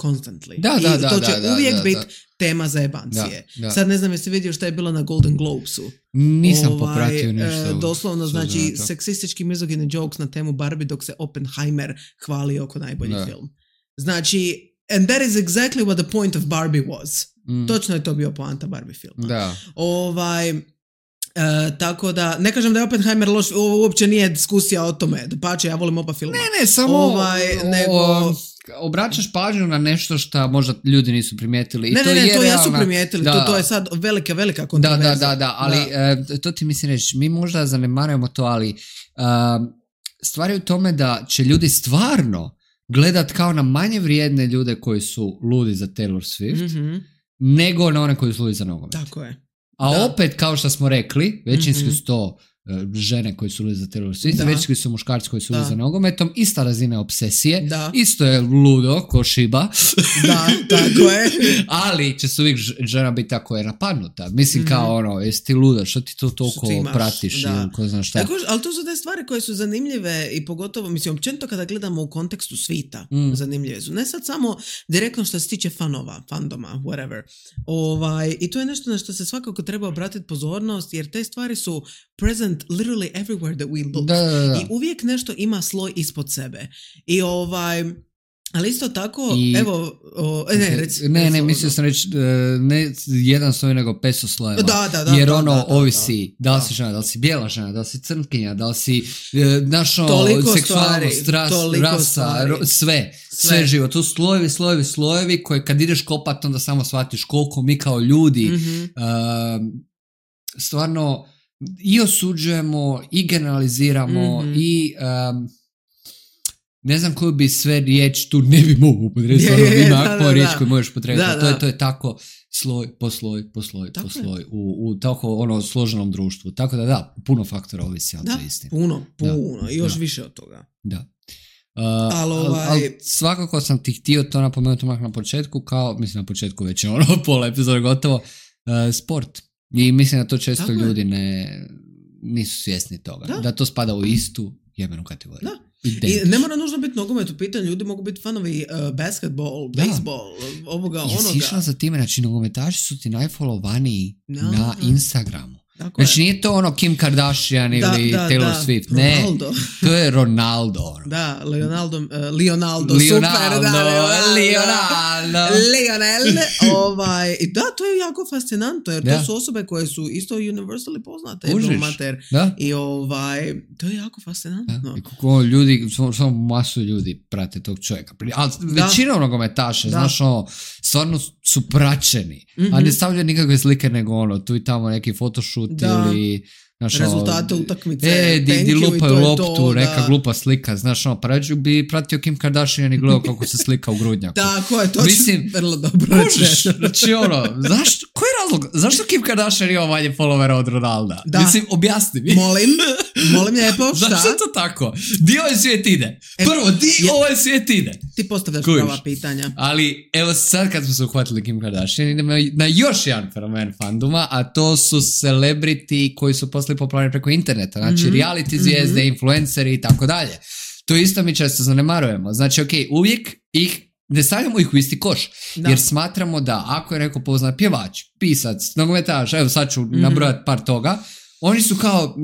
Constantly. Da, da, I to će da, da, uvijek da, biti da. tema za jebancije. Da, da. Sad ne znam jesi vidio šta je bilo na Golden Globesu. Nisam ovaj, popratio ništa. Doslovno, znači, seksistički mizogini jokes na temu Barbie dok se Oppenheimer hvali oko najbolji da. film. Znači, and that is exactly what the point of Barbie was. Mm. Točno je to bio poanta Barbie filma. Da. Ovaj, uh, tako da, ne kažem da je Oppenheimer loš, uopće nije diskusija o tome. Dapače, ja volim oba filma. Ne, ne, samo ovaj, nego... o, obraćaš pažnju na nešto što možda ljudi nisu primijetili. I ne, to ne, ne, je to realna... jesu primijetili. Da. To, to je sad velika, velika kontroverza. Da, da, da, da, ali da. E, to ti mislim reći, mi možda zanemarujemo to, ali uh, stvar je u tome da će ljudi stvarno gledat kao na manje vrijedne ljude koji su ludi za Taylor Swift, mm-hmm. nego na one koji su ludi za nogomet. Tako je. A da. opet, kao što smo rekli, većinski mm-hmm. su to uh, žene koji su ludi za Taylor Swift, većinski su muškarci koji su ludi za nogometom, ista razina obsesije, da. Isto je ludo ko Šiba. Da, tako je. Ali će se uvijek žena biti tako je napadnuta. Mislim mm-hmm. kao ono, jesi ti luda, što ti to toliko ti pratiš da. Ili ko zna šta. Tako, ali to su te stvari koje su zanimljive i pogotovo, mislim, općenito kada gledamo u kontekstu svita, mm. zanimljive su. Ne sad samo direktno što se tiče fanova, fandoma, whatever. Ovaj, i to je nešto na što se svakako treba obratiti pozornost, jer te stvari su present literally everywhere that we look. Da, da, da. I uvijek nešto ima sloj ispod sebe. I ovaj... Ali isto tako, I, evo, o, ne, reci, ne, reci, ne, mislio sam reći, ne jedan sloj, nego pesto slojeva. Da, da, da. Jer da, ono da, da, ovisi, da, da li da. si žena, da li si bijela žena, da li si crnkinja, da li si našo seksualnost, ras, rasa, ro, sve, sve, sve živo. Tu slojevi, slojevi, slojevi koje kad ideš kopat onda samo shvatiš koliko mi kao ljudi mm-hmm. uh, stvarno i osuđujemo i generaliziramo mm-hmm. i... Um, ne znam koju bi sve riječ tu ne bi mogu upotrebiti, stvarno je, ima da, ako da, riječ da. koju možeš upotrebiti, da, to je, da. to je tako sloj po sloj, po sloj, tako po sloj, u, u tako ono složenom društvu, tako da da, puno faktora ovisi, ali da, to je istina. puno, puno, da, i još da. više od toga. Da. Uh, ali ovaj... al, al, svakako sam ti htio to napomenuti mak na početku, kao, mislim na početku već je ono pola epizode gotovo, uh, sport. I mislim da to često tako ljudi ne, nisu svjesni toga. Da. da to spada u istu jebenu kategoriju. Da. I ne mora nužno biti nogomet u pitanju, ljudi mogu biti fanovi uh, basketball, baseball, ovoga, Jesi onoga. Jesi išla za time, znači nogometaši su ti najfollowvaniji no, na no. Instagramu. Tako znači je. nije to ono Kim Kardashian ili da, da, Taylor da. Swift, Ronaldo. ne, to je Ronaldo. Ono. Da, Leonardo, uh, Leonardo, Leonardo, super, da, Leonardo, Leonardo. Lionel, ovaj, i da, to je jako fascinantno, jer da. to su osobe koje su isto universally poznate. Užiš, mater, da. I ovaj, to je jako fascinantno. Da. I kako ljudi, samo masu ljudi prate tog čovjeka. Ali većina nogometaša, da. Znaš, ono, stvarno su praćeni, mm-hmm. a ne stavljaju nikakve slike nego ono, tu i tamo neki photoshoot da. ili Znaš, rezultate utakmice, e, di, di lupaju loptu, to, neka da. glupa slika, znaš, ono, pa rađu bi pratio Kim Kardashian i gledao kako se slika u grudnjaku. Tako je, to Mislim, je vrlo dobro. Možeš, znači ono, zašto, koji je razlog, zašto Kim Kardashian ima manje followera od Ronalda? Da. Mislim, objasni mi. Molim, molim lijepo, šta? Zašto to tako? Di ovaj svijet ide? Prvo, di je, ovaj svijet ide? Ti postavljaš Kužiš. prava pitanja. Ali, evo sad kad smo se uhvatili Kim Kardashian, idemo na još jedan fenomen fandoma, a to su celebrity koji su postali popularni preko interneta. Znači, mm-hmm. reality zvijezde, mm-hmm. influenceri i tako dalje. To isto mi često zanemarujemo. Znači, ok, uvijek ih ne stavljamo ih u isti koš, da. Jer smatramo da ako je neko poznat pjevač, pisac, nogometaš, evo sad ću mm-hmm. nabrojati par toga, oni su kao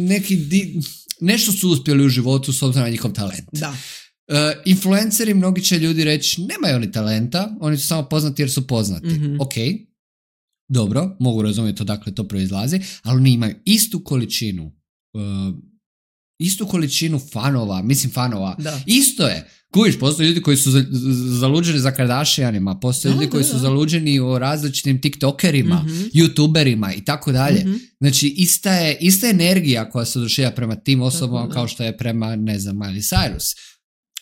neki, di, nešto su uspjeli u životu s obzirom na njihov talent. Da. Uh, influenceri, mnogi će ljudi reći, nemaju oni talenta, oni su samo poznati jer su poznati. Mm-hmm. Ok, dobro, mogu razumjeti odakle to proizlazi, ali oni imaju istu količinu uh, istu količinu fanova, mislim fanova, da. Isto je. Kuviš, postoje ljudi koji su zaluđeni za Kardashianima, postoje da, ljudi koji da, su da. zaluđeni o različitim tiktokerima, mm-hmm. youtuberima i tako dalje. Mm-hmm. Znači, ista je, ista energija koja se oduševa prema tim osobama tako, kao što je prema, ne znam, Miley Cyrus.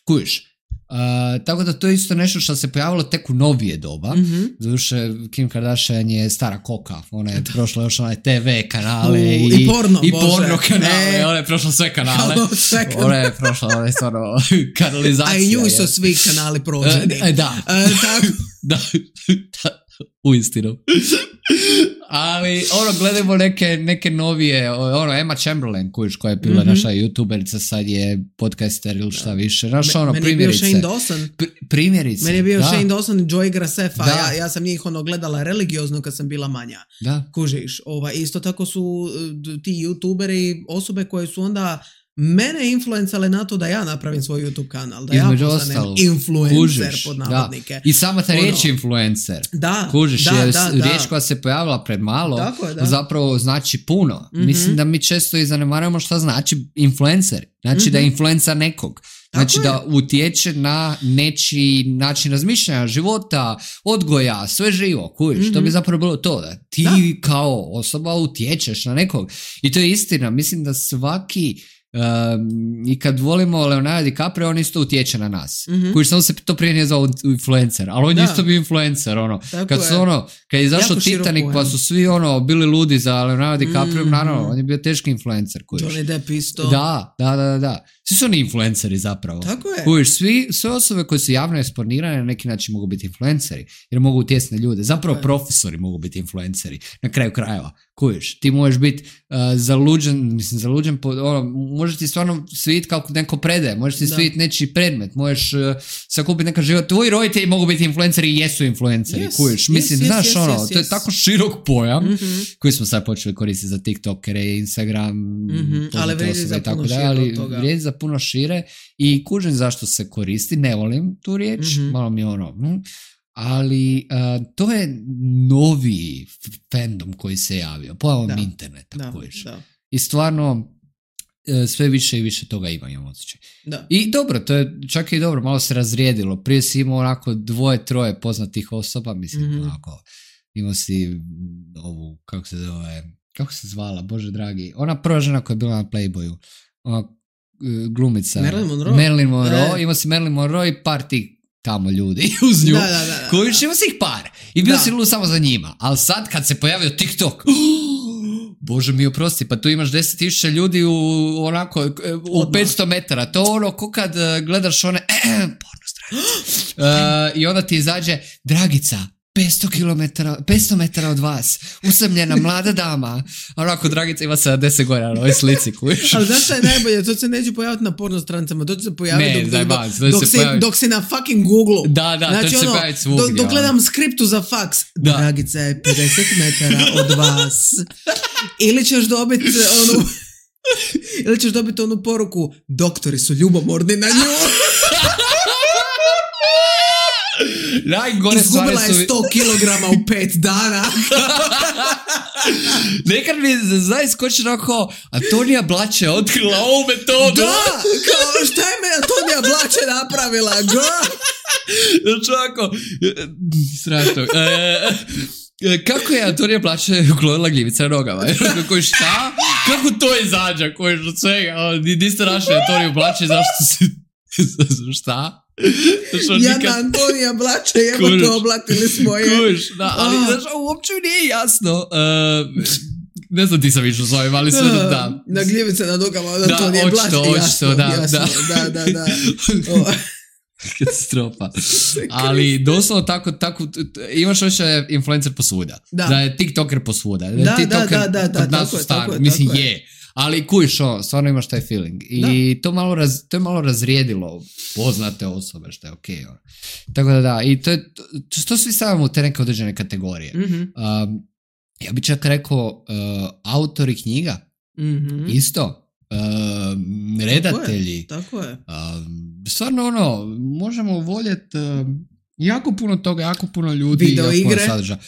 Kuviš. Uh, tako da to je isto nešto što se pojavilo tek u novije doba. Mm-hmm. Zaduše, Kim Kardashian je stara koka. Ona je prošla još onaj te ve kanale uh, i, i porno, i Bože. porno kanale. Ne. Ona je prošla sve kanale. sve kanale. Ona je prošla onaj stvarno kanalizacija. A i nju su svi kanali prođeni. Uh, da. Uh, tako. da. U istinu. Ali, ono, gledamo neke, neke novije, ono, Emma Chamberlain, kujiš, koja je bila mm-hmm. naša youtuberica, sad je podcaster ili šta više. Naš, ono, meni primjerice. Meni je bio Shane Dawson. Pr- primjerice. Meni je bio da. Shane Dawson i Joey Graceffa. Ja, ja sam njih, ono, gledala religiozno kad sam bila manja. Da. Kužiš. Ova, isto tako su ti youtuberi osobe koje su onda mene influencale na to da ja napravim svoj YouTube kanal, da između ja postanem influencer kužiš, pod navodnike. Da. I sama ta riječ ono, influencer. Da, kužiš, da, je da, riječ da. koja se pojavila pred malo, je, da. zapravo znači puno. Mm-hmm. Mislim da mi često i zanemarujemo šta znači influencer. Znači mm-hmm. da je influencer nekog. Znači tako da je. Utječe na nečiji način razmišljanja, života, odgoja, sve živo, kužiš. Mm-hmm. To bi zapravo bilo to, da ti da. Kao osoba utječeš na nekog. I to je istina. Mislim da svaki Um, i kad volimo Leonardo DiCaprio, on isto utječe na nas. Mm-hmm. Koji samo se to prije nije zvao influencer, ali on je isto bio influencer, ono. Tako kad su je. Ono, kad je izašao Titanic, pa su svi ono bili ludi za Leonardo DiCaprio, mm-hmm. naravno, on je bio teški influencer. Kujiš. Johnny Depp isto. Da, da, da, da. Svi su oni influenceri zapravo. Tako je. Kujiš, svi, sve osobe koje su javno eksponirane na neki način mogu biti influenceri, jer mogu utjecati na ljude. Zapravo profesori mogu biti influenceri. Na kraju krajeva. Kujiš, ti možeš biti uh, zaluđen, mislim, zaluđen, po, ono, možeš ti stvarno svidjeti kako neko predaje, možeš ti svidjeti nečiji predmet, možeš uh, sakupiti neka život. Tvoji roditelji mogu biti influenceri i jesu influenceri, yes, kujiš. Mislim, yes, znaš, yes, ono, yes, to je yes. tako širok pojam mm-hmm. koji smo sad počeli koristiti za TikTokere, Instagram, mm-hmm. ali vrijedi za puno šire ali vrijedi za puno šire i kužim zašto se koristi, ne volim tu riječ, mm-hmm. malo mi ono... Hm. Ali uh, to je novi fandom koji se javio, pojavom interneta. Da, da. I stvarno uh, sve više i više toga ima, imam osjećaj. Da. I dobro, to je čak i dobro, malo se razrijedilo. Prije si imao onako dvoje, troje poznatih osoba, mislim, mm-hmm. onako, imao si ovu, kako se zove, kako se zvala, Bože dragi, ona prva žena koja je bila na Playboyu, ona glumica. Marilyn Monroe. Marilyn Monroe, e. imao si Marilyn Monroe i par tih tamo ljudi uz nju, da, da, da, koji ima si ih par i bio si lud samo za njima, ali sad kad se pojavio TikTok, Bože mi oprosti, pa tu imaš deset tisuća ljudi u onako u petsto metara, to ono ko kad gledaš one porno stranice uh, i onda ti izađe Dragica petsto kilometara, petsto metara od vas, usamljena mlada dama, onako Dragica ima sedamdeset godina na ovoj slici, kujiš. Ali znaš šta je najbolje, to se neće pojaviti na porno strancama, to će se pojaviti ne, dok, daj, dok, ba, dok, dok, si, pojavi... dok si na fucking Google. Da, da, znači, to će ono, se pojaviti svugdje. Dok, dok gledam skriptu za faks, da. Dragica je pedeset metara od vas. Ili ćeš dobiti onu, ili ćeš dobiti onu poruku, doktori su ljubomorni na nju. Izgubila je sto kilograma u pet dana. Nekad mi zna iskoči onako Antonija Blače otkrila ovu metodu. Da, kao šta je me Antonija Blače napravila? Ga? Znači ovako strašno. kako je Antonija Plače uklonila gljivice na nogama? Koji šta? Kako to izađa? Koji od svega? Niste našli Antoniju Plače, zašto si... šta? Jana nikad... Antonija Blače, evo to oblatili smo je. Kuš, da, ali oh. znaš, uopće mi nije jasno. Uh, ne znam ti sam išao s ovim, ali sve uh, da. Na gljivice na nogama od Antonije Blače, jasno, da, jasno, da, da, da. da. Oh. Katastrofa. Ali doslovno tako, tako imaš još influencer posvuda. Da. Da je tiktoker posvuda. Da, da, TikToker da, da, da, kod nas tako u je, stanu. tako je, Mislim, tako je. Ali kujiš ovo, stvarno imaš taj feeling. I to, malo raz, to je malo razrijedilo poznate osobe, što je okej. Okay, tako da da, i to, je, to, to svi stavimo u te neke određene kategorije. Mm-hmm. Um, ja bi čak rekao uh, autori knjiga, mm-hmm. isto. Uh, redatelji. Tako je. Tako je. Uh, stvarno ono, možemo voljeti uh, jako puno toga, jako puno ljudi. Video igre. Sadrža.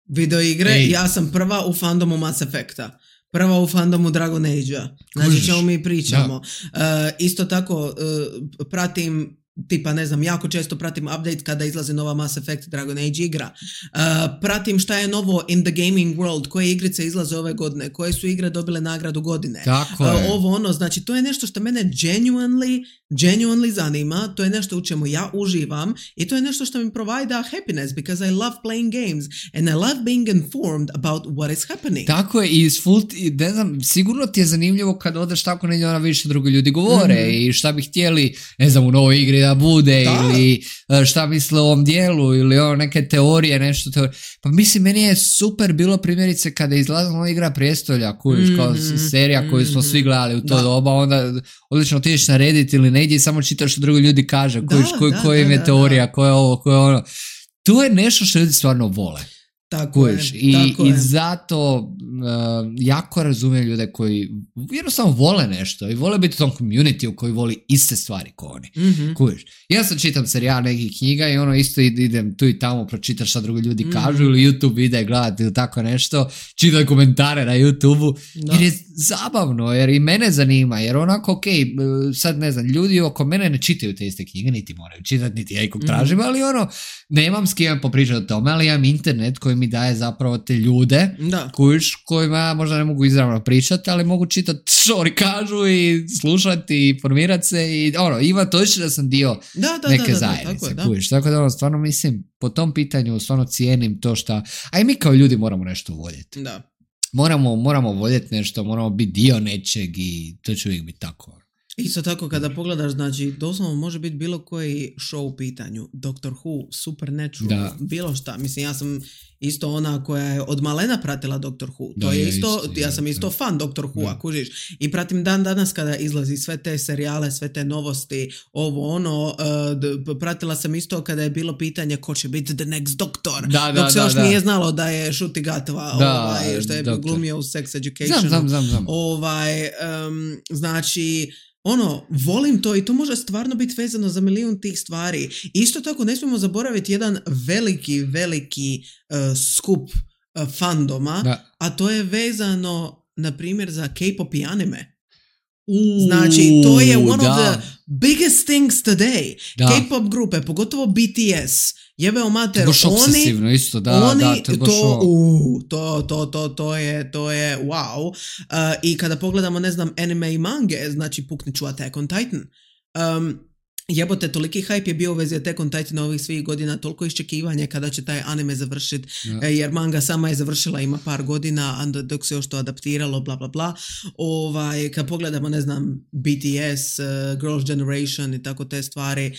Video igre. Ej. Ja sam prva u fandomu Mass Effecta. Prva u fandomu Dragon Age-a. Znači čemu mi pričamo. Uh, isto tako uh, pratim tipa ne znam, jako često pratim update kada izlazi nova Mass Effect Dragon Age igra. Uh, pratim šta je novo in the gaming world, koje igrice izlaze ove godine, koje su igre dobile nagradu godine. Tako je. Uh, ovo ono, znači to je nešto što mene genuinely, genuinely zanima, to je nešto u čemu ja uživam i to je nešto što mi provide happiness because I love playing games and I love being informed about what is happening. Tako je i full, ne znam, sigurno ti je zanimljivo kad odeš tako negdje ona više drugi ljudi govore mm-hmm. i šta bi htjeli, ne znam, u novoj igri da bude da. Ili šta misle o ovom dijelu ili o neke teorije, nešto teorije. Pa mislim, meni je super bilo primjerice kada je izlazila igra Prijestolja, kojiš, mm-hmm. kao serija koju smo svi gledali u to da. Doba, onda odlično otiđeš na Reddit ili negdje i samo čitaš što drugi ljudi kaže, kojiš, koji, da, koji im je da, teorija, da. Ko je ovo, ko je ono. To je nešto što ljudi stvarno vole. Tako Kojiš. je, I, tako i je. zato uh, jako razumijem ljude koji jednostavno vole nešto i vole biti u tom community koji voli iste stvari ko oni. Mm-hmm. Kojiš. Ja sam čitam serijal nekih knjiga i ono isto idem tu i tamo pročitaš šta drugi ljudi mm-hmm. kažu ili YouTube videe gledati ili tako nešto, čitaj komentare na YouTube-u jer je zabavno, jer i mene zanima, jer onako ok, sad ne znam, ljudi oko mene ne čitaju te iste knjige, niti moraju čitati, niti ja ikog mm-hmm. tražim, ali ono, nemam s kim popričati o tome, ali imam internet koji mi daje zapravo te ljude kojiš, kojima ja možda ne mogu izravno pričati, ali mogu čitati što oni kažu i slušati i informirati se i ono, ima točno da sam dio da, da, neke da, da, zajednice, tako, kojiš. Tako da ono, stvarno mislim, po tom pitanju stvarno cijenim to šta, a i mi kao ljudi moramo nešto voljeti. Da. Moramo, moramo voljeti nešto, moramo biti dio nečeg i to će uvijek biti tako. Isto tako kada pogledaš, znači doslovno može biti bilo koji show u pitanju, Doctor Who, Supernatural, da. Bilo šta, mislim ja sam isto ona koja je od malena pratila Doctor Who, to da, je isto, isto ja sam isto da. Fan Doctor Who-a, kužiš, i pratim dan danas kada izlazi sve te serijale, sve te novosti, ovo ono, uh, pratila sam isto kada je bilo pitanje ko će biti the next Doctor, da, da, dok se da, još da. Nije znalo da je Ncuti Gatwa, ovaj, što je doktor. Glumio u Sex Educationu, znam, znam, znam, znam. ovaj, um, znači ono, volim to i to može stvarno biti vezano za milijun tih stvari. Isto tako ne smijemo zaboraviti jedan veliki, veliki uh, skup uh, fandoma, da. A to je vezano, na primjer, za K-pop i anime. Uuu, znači, to je one da. Of the biggest things today. Da. K-pop grupe, pogotovo B T S, jebeo mater, oni, isto, da, oni da, to, to, uh, to, to, to, to je, to je wow. Uh, I kada pogledamo, ne znam, anime i mange, znači pukniću Attack on Titan. Um, Jebote, toliki hype je bio u vezi Attack on Titan ovih svih godina, toliko iščekivanje kada će taj anime završiti, ja. Jer manga sama je završila, ima par godina, dok se još to adaptiralo, bla bla bla. Ovaj, kad pogledamo, ne znam, B T S, uh, Girls' Generation i tako te stvari,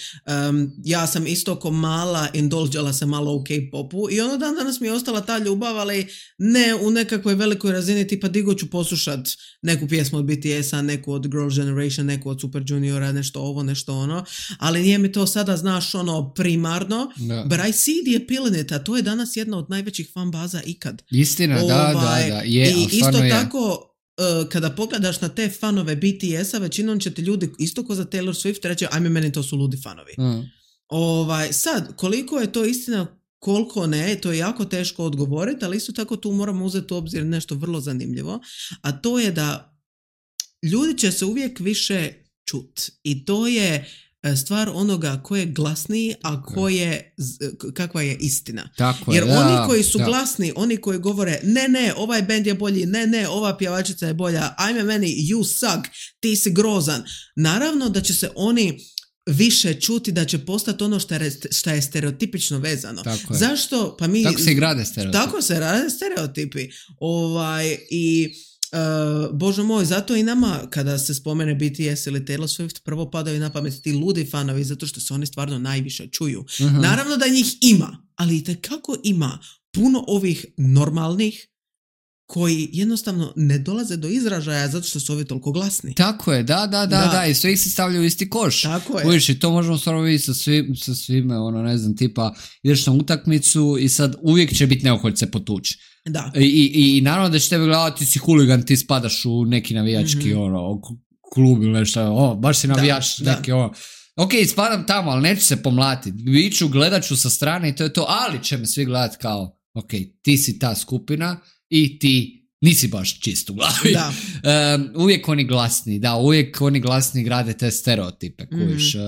um, ja sam isto ko mala indulđala se malo u K-popu i ono dan danas mi je ostala ta ljubav, ali ne u nekakvoj velikoj razini, tipa digo ću poslušat neku pjesmu od B T S-a, neku od Girls' Generation, neku od Super Juniora, nešto ovo, nešto ono, ali nije mi to sada, znaš, ono, primarno, no. But I see the appeal in it, a to je danas jedna od najvećih fan baza ikad. Istina, ovaj, da, da, da, je, i isto je. Tako, uh, kada pogledaš na te fanove B T S-a, većinom će ti ljudi, isto ko za Taylor Swift, reći, ajme, meni to su ludi fanovi. Mm. Ovaj, sad, koliko je to istina, koliko ne, to je jako teško odgovoriti, ali isto tako tu moramo uzeti u obzir nešto vrlo zanimljivo, a to je da ljudi će se uvijek više čut. I to je stvar onoga ko je glasniji, a ko je, kakva je istina. Tako Jer je, da, oni koji su da. glasni, oni koji govore ne, ne, ovaj bend je bolji, ne, ne, ova pjevačica je bolja, ajme meni, you suck, ti si grozan. Naravno da će se oni više čuti, da će postati ono što je, što je stereotipično vezano. Tako je. Zašto? Pa mi, tako se i grade stereotipi. Tako se rade stereotipi. Ovaj, i Uh, Bože moj, zato i nama kada se spomene B T S ili Taylor Swift prvo padaju na pamet ti ludi fanovi zato što se oni stvarno najviše čuju. Uh-huh. Naravno da njih ima, ali itekako ima puno ovih normalnih koji jednostavno ne dolaze do izražaja zato što su ovi toliko glasni. Tako je, da, da, da, da, da i sve ih se stavljaju u isti koš. Tako je. Uviš, i to možemo stvarno vidjeti sa, svim, sa svime, ono, ne znam, tipa, ideš na utakmicu i sad uvijek će biti neoholjce potući. Da. I, i, i naravno da će tebe gledati, ti si huligan, ti spadaš u neki navijački, mm-hmm. ono, klub ili nešto, o, baš si navijač, da, neki, da. ono. Ok, spadam tamo, ali neću se pomlatiti. Viću, gledat ću sa strane i to je to, ali će me svi gledati kao, ok, ti si ta skupina i ti nisi baš čist u glavi. Da. um, uvijek oni glasni, da, uvijek oni glasni grade te stereotipe. Mm-hmm. Kuš, uh,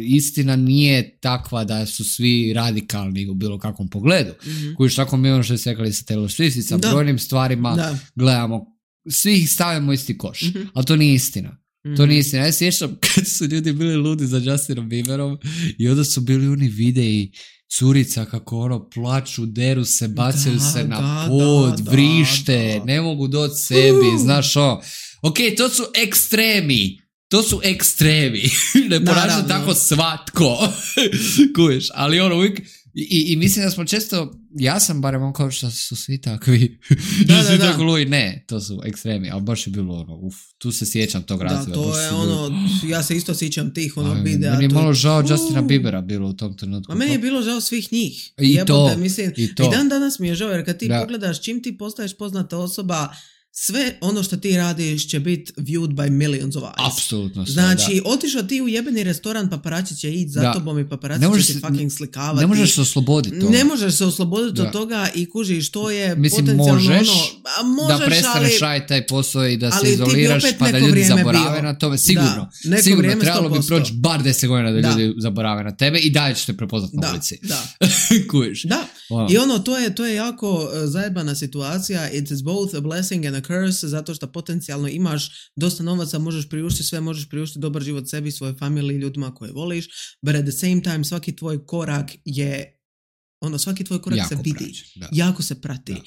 istina nije takva da su svi radikalni u bilo kakvom pogledu. Mm-hmm. Kuš, tako mi ono što je sekali sa Taylor Swift i sa da. brojnim stvarima da. gledamo, svi ih stavimo u isti koš. Mm-hmm. Ali to nije istina. Mm-hmm. To nije istina. Ja sjećam kad su ljudi bili ludi za Justinom Bieberom i onda su bili oni videi curica kako ono plaču, deru se, bacaju da, se na da, pod, da, vrište, da, da. ne mogu doći sebi, uh. znaš o. Ok, to su ekstremi, to su ekstremi, ne ponaša tako svatko, kuješ, ali ono uvijek, i, i mislim da smo često, ja sam barem on kao što su svi takvi, da, svi da, tako luji, ne, to su ekstremi, ali baš je bilo ono, uf, tu se sjećam tog razvoja. Da, to je ono, bilo... ja se isto sjećam tih onog videa. Meni je malo žao uh. Justina Biebera bilo u tom trenutku. A meni je bilo žao svih njih. I Jebote, to, mislim, i to. I dan danas mi je žao, jer kad ti da. pogledaš, čim ti postaješ poznata osoba, sve ono što ti radiš će biti viewed by millions of eyes. Apsolutno. Znači, otišao ti u jebeni restoran, paparaci će ići za da. tobom i paparaci će ti fucking slikavati. Ne možeš se osloboditi toga. Ne možeš se osloboditi od toga i kužiš, to je mislim, potencijalno možeš, ono... A možeš, da prestaneš ali, raditi taj posao i da se izoliraš, pa da ljudi zaborave bio. na tome. Sigurno. Da, sigurno, trebalo bi proći bar deset godina da, da ljudi zaborave na tebe i dalje ćete prepoznat na da, ulici. Da, Kužiš. Da. Wow. I ono, to je, to je jako zajebana situacija. It is both a blessing and a curse, zato što potencijalno imaš dosta novaca, možeš priuštiti sve, možeš priuštiti dobar život sebi, svojoj familiji, ljudima koje voliš, but at the same time svaki tvoj korak je, ono, svaki tvoj korak jako se vidi. Praći, jako se prati. Um,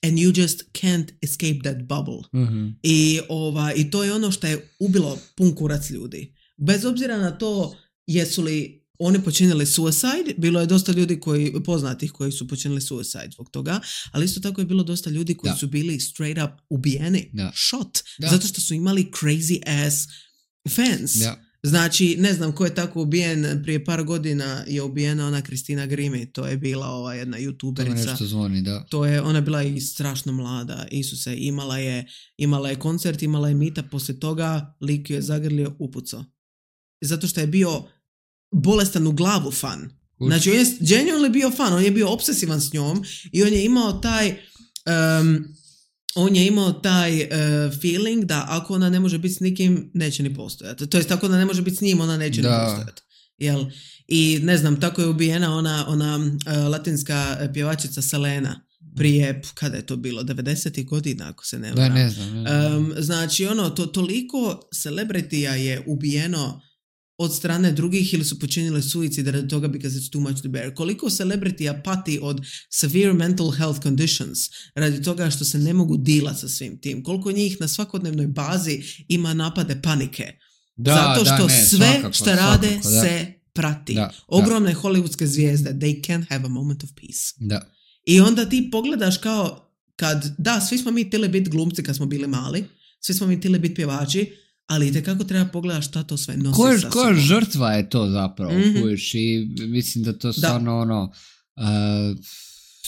and you just can't escape that bubble. Mm-hmm. I, ova, I to je ono što je ubilo pun kurac ljudi. Bez obzira na to jesu li oni počinili suicide, bilo je dosta ljudi koji, poznatih koji su počinili suicide zbog toga, ali isto tako je bilo dosta ljudi koji da. su bili straight up ubijeni, da. shot, da. zato što su imali crazy ass fans. Da. Znači, ne znam ko je tako ubijen, prije par godina je ubijena ona Kristina Grimmie, to je bila ova jedna youtuberica. To nešto zvoni, da. To je, ona je bila i strašno mlada, Isuse, imala je, imala je koncert, imala je meetup, poslije toga lik je zagrlio, upucao. Zato što je bio bolestan u glavu fan. Znači, on je genuinely bio fan, on je bio obsesivan s njom i on je imao taj um, on je imao taj uh, feeling da ako ona ne može biti s nikim, neće ni postojati. To jest, ako ona ne može biti s njim, ona neće da. ni postojati. Jel? I ne znam, tako je ubijena ona, ona uh, latinska pjevačica Selena prije, kada je to bilo, devedesetih godina, ako se ne varam. Da, ne znam. Ne znam. Um, znači, ono, to, toliko celebritija je ubijeno od strane drugih ili su počinili suicid radi toga because it's too much to bear. Koliko celebritija pati od severe mental health conditions radi toga što se ne mogu dilati sa svim tim. Koliko njih na svakodnevnoj bazi ima napade panike. Da, zato što da, ne, sve svakako, što rade svakako, se prati. Da, Ogromne da. hollywoodske zvijezde, they can't have a moment of peace. Da. I onda ti pogledaš kao kad, da, svi smo mi htjeli biti glumci kad smo bili mali, svi smo mi htjeli biti pjevači, ali itekako treba pogledati šta to sve nosi koja, sa sobom. Koja žrtva je to zapravo, mm-hmm. kojiš, i mislim da to stvarno da. ono, uh,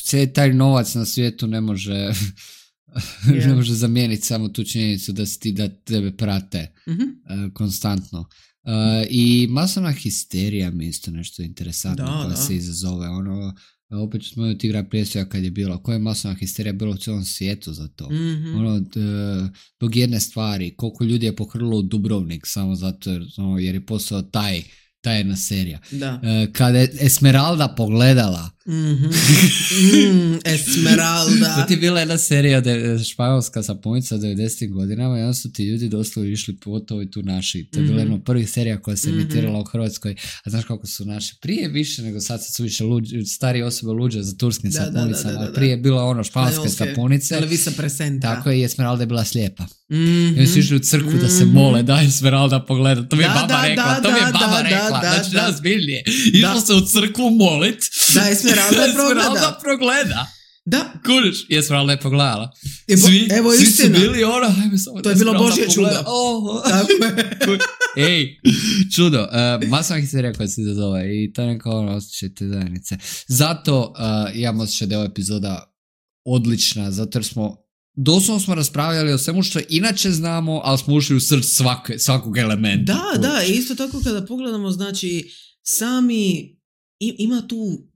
cijeli taj novac na svijetu ne može, yeah. ne može zamijeniti samo tu činjenicu da si ti da tebe prate mm-hmm. uh, konstantno. Uh, I masovna histerija mi isto nešto interesantno da, koja da. se izazove. Ono, opet ću spomenuti Igra prijestolja kad je bilo, koja je masovna histerija bilo u cijelom svijetu za to. Mm-hmm. Ono, dok jedne stvari, koliko ljudi je pohrlilo u Dubrovnik samo zato jer, ono, jer je postao taj ta jedna serija. Da. Uh, kada je Esmeralda pogledala mm-hmm. mm, Esmeralda. To ti je bila jedna serija de, španjolska sapunica u devedesetim godinama i onda su ti ljudi doslovno išli pogotovo i tu naši. To je bila mm-hmm. jedna od prvih serija koja se emitirala mm-hmm. u Hrvatskoj. A znaš kako su naši prije više nego sad su više luđe, starije osobe luđe za turskim da, sapunicama. Da, da, da, da. Prije je bila ono španjolske sapunice. Televisa presenta. Tako je i Esmeralda je bila slijepa. Mm-hmm. I oni su išli u crkvu mm-hmm. da se mole da Esmeralda pogleda. To mi je da, baba da, rekla. Da, to mi je baba da, rekla. Da, da, znači da. Razbiljnije. Išlo se u crkvu molit. Da, Esmeralda je progleda. Esmeralda progleda. Da. Kužiš, i Esmeralda je pogledala. Svi, Evo svi su bili ono, hajme samo to je bilo Božje čudo. Oh. Tako je. Ej, čudo. Uh, masovna histerija koja se izazove i to je neka ono osjećaj te zajednice. Zato uh, imam osjećaj da je ova epizoda odlična, zato jer smo doslovno smo raspravljali o svemu što inače znamo, ali smo ušli u srce svake, svakog elementa. Da, koji... da, isto tako kada pogledamo, znači, sami i, ima tu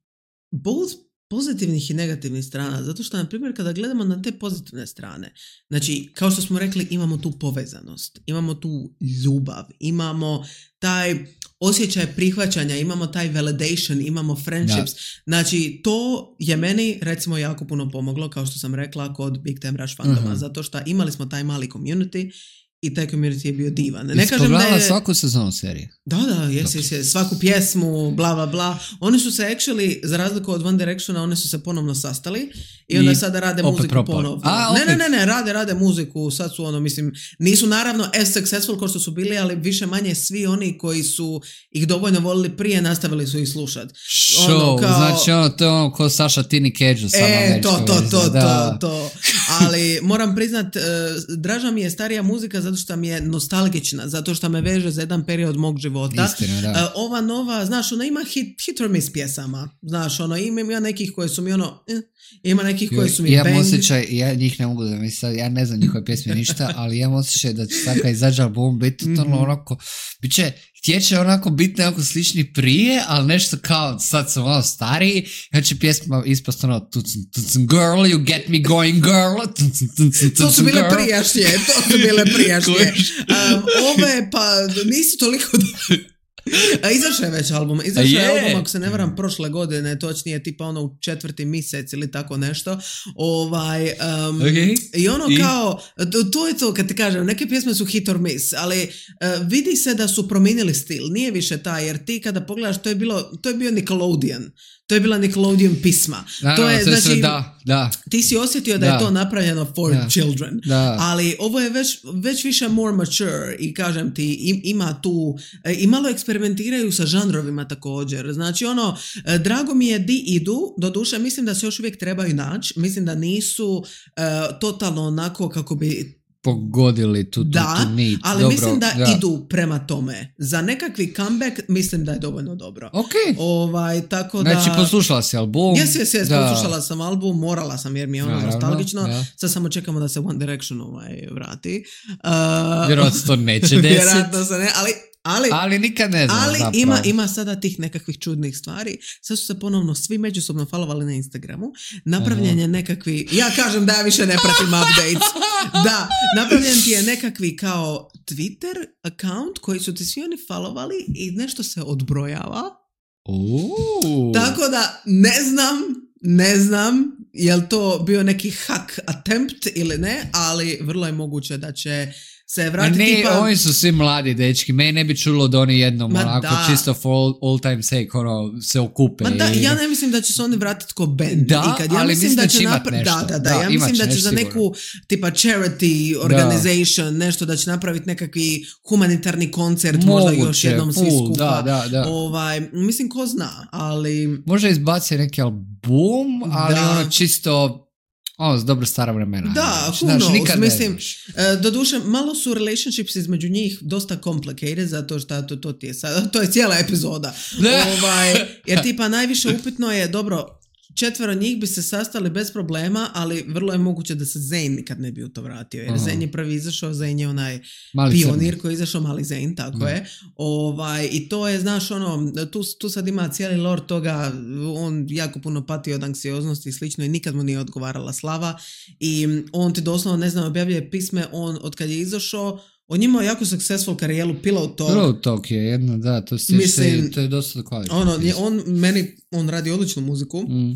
both pozitivnih i negativnih strana, zato što, na primjer, kada gledamo na te pozitivne strane, znači, kao što smo rekli, imamo tu povezanost, imamo tu ljubav, imamo taj osjećaj prihvaćanja, imamo taj validation, imamo friendships. Da. Znači, to je meni, recimo, jako puno pomoglo, kao što sam rekla, kod Big Time Rush fandoma, uh-huh. zato što imali smo taj mali community i taj community je bio divan. Ne kažem da je... svaku sezonu serije. Da, da, jes, jes, jes, svaku pjesmu, bla, bla, bla. Oni su se actually, za razliku od One Directiona, oni su se ponovno sastali i onda I sada rade muziku propor. ponovno. A, ne, ne, ne, ne, rade, rade muziku, sad su ono, mislim, nisu naravno as successful kao što su bili, ali više manje svi oni koji su ih dovoljno volili prije, nastavili su ih slušati. Show, ono, kao... znači ono, to je ono ko Saša Tini Kedžu. E, to, to, to, to, to. Ali moram priznat, uh, draža mi je starija muzika zato što mi je nostalgična, zato što me veže za jedan period mog života. Istina, da. Uh, ova nova, znaš, ona ima hit, hit or miss pjesama. Znaš, ono, ima, ima nekih koje su mi ono, eh, ima nekih koje su mi ja bang. Ja osjećaj, ja njih ne mogu da mi sad, ja ne znam njihove pjesme ništa, ali ja osjećaj da će sad kad izađe album biti totalno mm-hmm. onako, bit će, htjeće onako biti nekako slični prije, ali nešto kao, sad sam ono stariji, ja će pjesma ispast ono, tucn, tucn, girl, you get me going, girl, tucn, tucn, tucn, to su bile prijašnje, to su bile prijašnje. um, ove, pa, nisu toliko... Izašao je već album, izašao je album, ako se ne varam, prošle godine, točnije tipa ono u četvrti mjesec ili tako nešto. Ovaj, um, okay. I ono I? kao, to, to je to kad ti kažem, neke pjesme su hit or miss, ali uh, vidi se da su promijenili stil, nije više taj, jer ti kada pogledaš, to je, bilo, to je bio Nickelodeon. To je bila Nickelodeon pisma. Da, to je, no, znači, sve, da, da. Ti si osjetio da, da je to napravljeno for da. children. Da. Ali ovo je već, već više more mature i kažem ti, im, ima tu, i malo eksperimentiraju sa žanrovima također. Znači ono, drago mi je di idu, doduše mislim da se još uvijek trebaju naći, mislim da nisu uh, totalno onako kako bi pogodili tu, tu, da, tu nit. ali dobro, mislim da, da idu prema tome. Za nekakvi comeback mislim da je dovoljno dobro. Ok. Ovaj, tako da... Znači poslušala si album. Jes, jes, jes, poslušala sam album, morala sam jer mi je ono naravno, nostalgično. Da. Sad samo čekamo da se One Direction ovaj, vrati. Uh, vjerojatno to neće desiti. Vjerojatno se ne, ali... Ali, ali nikad ne znam. Ali ima, ima sada tih nekakvih čudnih stvari. Sad su se ponovno svi međusobno followali na Instagramu. Napravljen je nekakvi... Ja kažem da ja više ne pratim updates. Da, napravljen ti je nekakvi kao Twitter account koji su ti svi oni followali i nešto se odbrojava. Ooh. Tako da ne znam, ne znam je li to bio neki hack attempt ili ne, ali vrlo je moguće da će se vratiti. Ne, tipa... oni su svi mladi dečki. Mene ne bi čulo da oni jednom Ma onako da. čisto for all, all time sake ono, se okupe. Ma da, i... ja ne mislim da će se oni vratiti ko band. Da, ikad. Ja ali mislim da će imat napra- nešto. Da, da, da. da Ja mislim da će za sigurno. neku tipa charity organization, da. nešto da će napraviti nekakvi humanitarni koncert, Moguće, možda još jednom svi full, skupa. Da, da, da. Ovaj, mislim, ko zna, ali... Možda izbaci neki album, ali da. ono čisto... Ovo, dobro stara vremena. Da, who knows, mislim, uh, doduše, malo su relationships između njih dosta complicated, zato što to, to ti je sad, to je cijela epizoda. ovaj, jer tipa najviše upitno je, dobro, četvero njih bi se sastali bez problema, ali vrlo je moguće da se Zayn nikad ne bi u to vratio. Jer Zayn je prvi izašao, Zayn je onaj mali pionir crni koji je izašao, mali Zayn, tako da. je. Ovaj, I to je, znaš, ono, tu, tu sad ima cijeli lore toga, on jako puno pati od anksioznosti i slično i nikad mu nije odgovarala slava. I on ti doslovno, ne znam, objavljuje pisme, on od kad je izašao, on imao jako successful karijeru, Pillow Talk. Pillow Talk je jedna, da, to, se, Mislim, to je dosta kvalitetno. Ono, on, meni, on radi odličnu muziku, mm.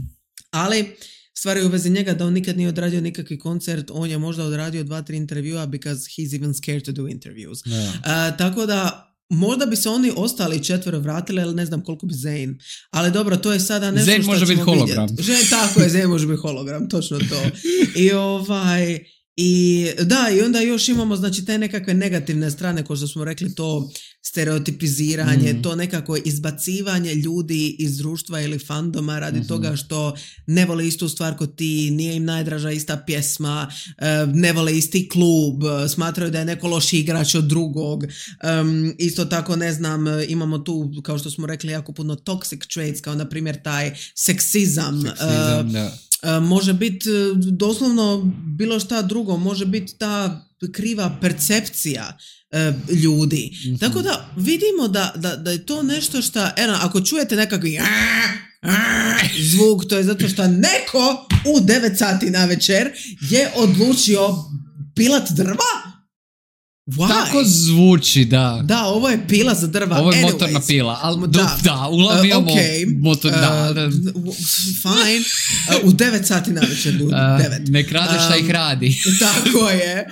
ali stvari u vezi njega da on nikad nije odradio nikakvi koncert, on je možda odradio dva, tri intervjua because he's even scared to do interviews. Yeah. Uh, tako da, možda bi se oni ostali četvero vratili, ali ne znam koliko bi Zayn. Ali dobro, to je sada nešto Zayn što ćemo vidjeti. Zayn tako je, Zayn može biti hologram, točno to. I ovaj... I da, i onda još imamo znači te nekakve negativne strane, kao što smo rekli, to stereotipiziranje, mm. to nekako izbacivanje ljudi iz društva ili fandoma radi mm-hmm. toga što ne vole istu stvar kod ti, nije im najdraža ista pjesma, ne vole isti klub, smatraju da je neko loši igrač od drugog. Um, isto tako, ne znam, imamo tu, kao što smo rekli, jako puno toxic traits, kao na primjer taj seksizam. Seksizam, uh, da. Uh, može biti uh, doslovno bilo šta drugo, može biti ta kriva percepcija uh, ljudi. Mm-hmm. Tako da vidimo da, da, da je to nešto što, eno, ako čujete nekakvi zvuk, to je zato što neko u devet sati na večer je odlučio pilat drva. Why? Tako zvuči, da. Da, ovo je pila za drva. Ovo je Anyways. motorna pila, ali da, da uglavnom imamo uh, okay. motor, da, da. Uh, fine. Uh, u devet sati navečer, u devet. Ne krade šta um, ih radi. Tako je.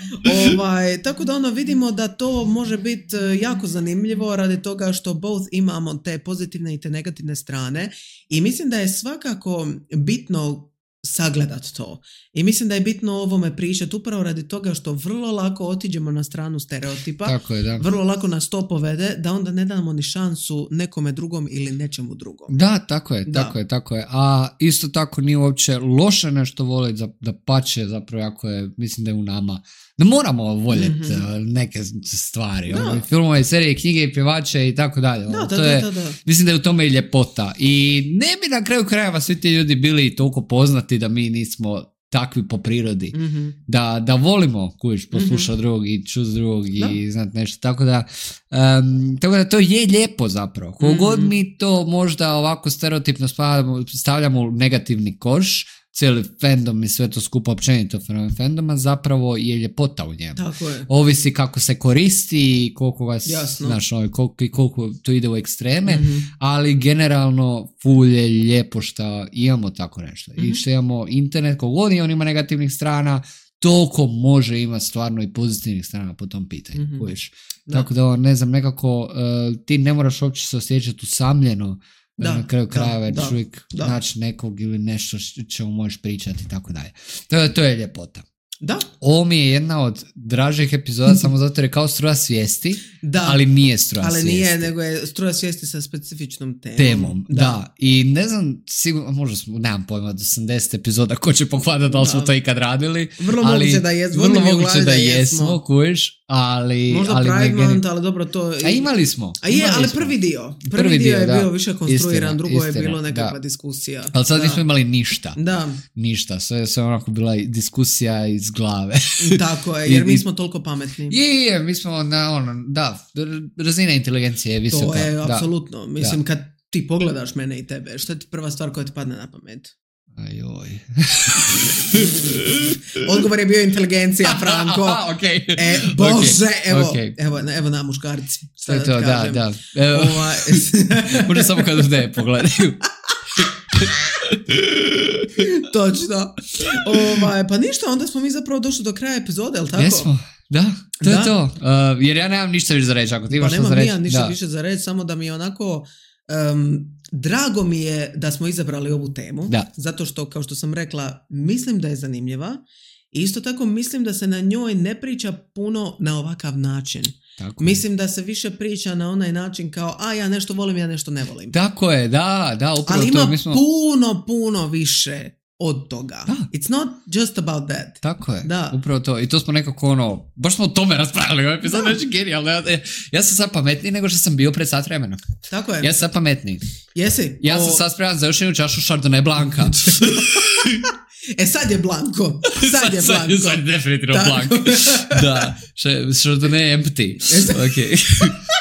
Ovaj, tako da ono vidimo da to može biti jako zanimljivo radi toga što both imamo te pozitivne i te negativne strane i mislim da je svakako bitno sagledat to. I mislim da je bitno o ovome pričati upravo radi toga što vrlo lako otiđemo na stranu stereotipa. Tako je, da. Vrlo lako nas to povede da onda ne damo ni šansu nekome drugom ili nečemu drugom. Da, tako je, da. tako je, tako je. A isto tako nije uopće loše nešto voliti, da, da pače zapravo jako je, mislim da je u nama. Da moramo voljeti mm-hmm. neke stvari. Ono, filmove, serije, knjige i pjevače i tako dalje. Da, to da, je, da, da. Mislim da je u tome i ljepota. I ne bi na kraju krajeva svi ti ljudi bili toliko poznati da mi nismo takvi po prirodi. Mm-hmm. Da, da volimo kujiš poslušati mm-hmm. drugog i čuti drugog i znati nešto. Tako da, um, tako da to je lijepo zapravo. Kogod mm-hmm. mi to možda ovako stereotipno stavljamo, stavljamo u negativni koš, cijeli fandom i sve to skupo općenito fenomen fandoma, zapravo je ljepota u njemu. Tako je. Ovisi kako se koristi i koliko vas, znaš, ovaj, koliko, koliko to ide u ekstreme, mm-hmm. ali generalno ful je lijepo što imamo tako nešto. Mm-hmm. I što imamo internet, kogod on ima negativnih strana, toliko može imati stvarno i pozitivnih strana po tom pitanju. Mm-hmm. Da. Tako da, ne znam, nekako uh, ti ne moraš uopće se osjećati usamljeno. Da, na kraju krajeva jer uvijek naći nekog ili nešto čemu možeš pričati i tako dalje. To, to je ljepota. Da. Ovo mi je jedna od dražih epizoda samo zato jer je kao struja svijesti, da. ali nije struja ali svijesti. Ali nije, nego je struja svijesti sa specifičnom temom. Temom, da. da. I ne znam, sigurno, možda smo, nemam pojma, do osamdeset epizoda ko će pohvatati da li smo to ikad radili. Vrlo ali, moguće da jesmo. Vrlo moguće da, da jesmo, kujiš, ali... Možda ali Pride Month, ali dobro to... A imali smo. A je, imali ali prvi dio. Prvi, prvi dio, dio je da. bio više konstruiran, istina, drugo istina, je bilo nekakva da. diskusija. Ali sad da. nismo imali ništa. Da. Ništa, sve je onako bila diskusija iz glave. Tako je, jer mi smo toliko pametni. Je, je, mi smo na ono, da, razina inteligencije je visoka. To je, apsolutno. Mislim, da. kad ti pogledaš mene i tebe, šta ti prva stvar koja ti padne na pamet? Ajoj. Odgovor je bio inteligencija, Franko. Okay. E, Bože, okay. evo, okay. evo, evo na muškarci. To je to, da, da. Evo, Ova... možda samo kad ne pogledaju. Točno. Ovaj, pa ništa, onda smo mi zapravo došli do kraja epizode, je li tako? Jesmo, da, to da. je to. Uh, jer ja nemam ništa više za reći, ako ti imaš pa što za reći. Pa nemam ništa više za reći, samo da mi je onako... Um, drago mi je da smo izabrali ovu temu, da. zato što, kao što sam rekla, mislim da je zanimljiva i isto tako mislim da se na njoj ne priča puno na ovakav način. Tako mislim je. Da se više priča na onaj način kao, a ja nešto volim, ja nešto ne volim. Tako je, da, da, upravo ali to. Ali ima mi smo... puno, puno više od toga. Da. It's not just about that. Tako je, da. Upravo to. I to smo nekako ono, baš smo o tome raspravili, ovaj epizod je genijalno. Ja, ja sam sad pametniji nego što sam bio pred sat vremena. Tako je. Ja sam sad pametniji. Jesi? Ja o... sam sad spreman za još jednu čašu Chardonnay Blanca. E sad je Blanco. Sad je Blanco. Sad, sad je definitivno Blanc. Da. Chardonnay empty. Ok.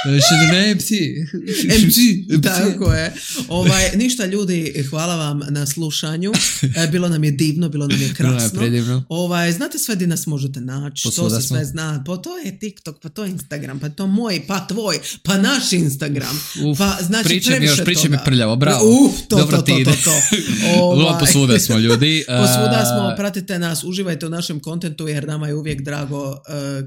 Chardonnay empty. Empty. Tako je. Ovaj, ništa ljudi, hvala vam na slušanju. E, bilo nam je divno, bilo nam je krasno. Predivno. Ovaj, znate sve di nas možete naći. Posluda to se smo. sve zna. Pa to je TikTok, pa to je Instagram, pa to moj, pa tvoj, pa naš Instagram. Uf, pa znači pričaj mi još, pričaj mi toga. prljavo, bravo. Uf, to, Dobro to, ti to, ide. to, to. Ovaj. Posvuda smo ljudi. Posvuda smo, pratite nas, uživajte u našem kontentu jer nama je uvijek drago uh,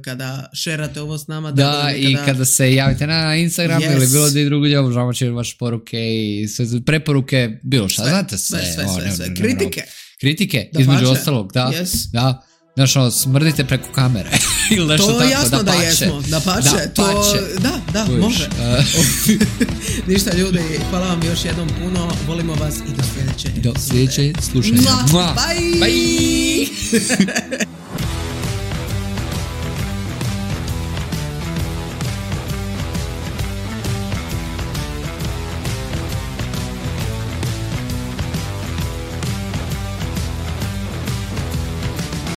kada šerate ovo s nama. Da, da i kada... kada se javite na Instagram yes. ili bilo gdje drugo, obožavamo će vaše poruke i sve preporuke, bilo šta, sve, znate sve. Sve, sve, o, sve, ne, sve. Ne, ne, Kritike. Ne, Kritike, da između pače. ostalog, da. Yes. Da. Znaš, ono, smrdite preko kamere. Ili nešto to tako, jasno da, da pače. jesmo, da pače. Da, to, pače. da, da, Uviš, može. Uh... Ništa ljudi, hvala vam još jednom puno, volimo vas i do sljedeće. Do sljedeće slušanja. Bye! Bye!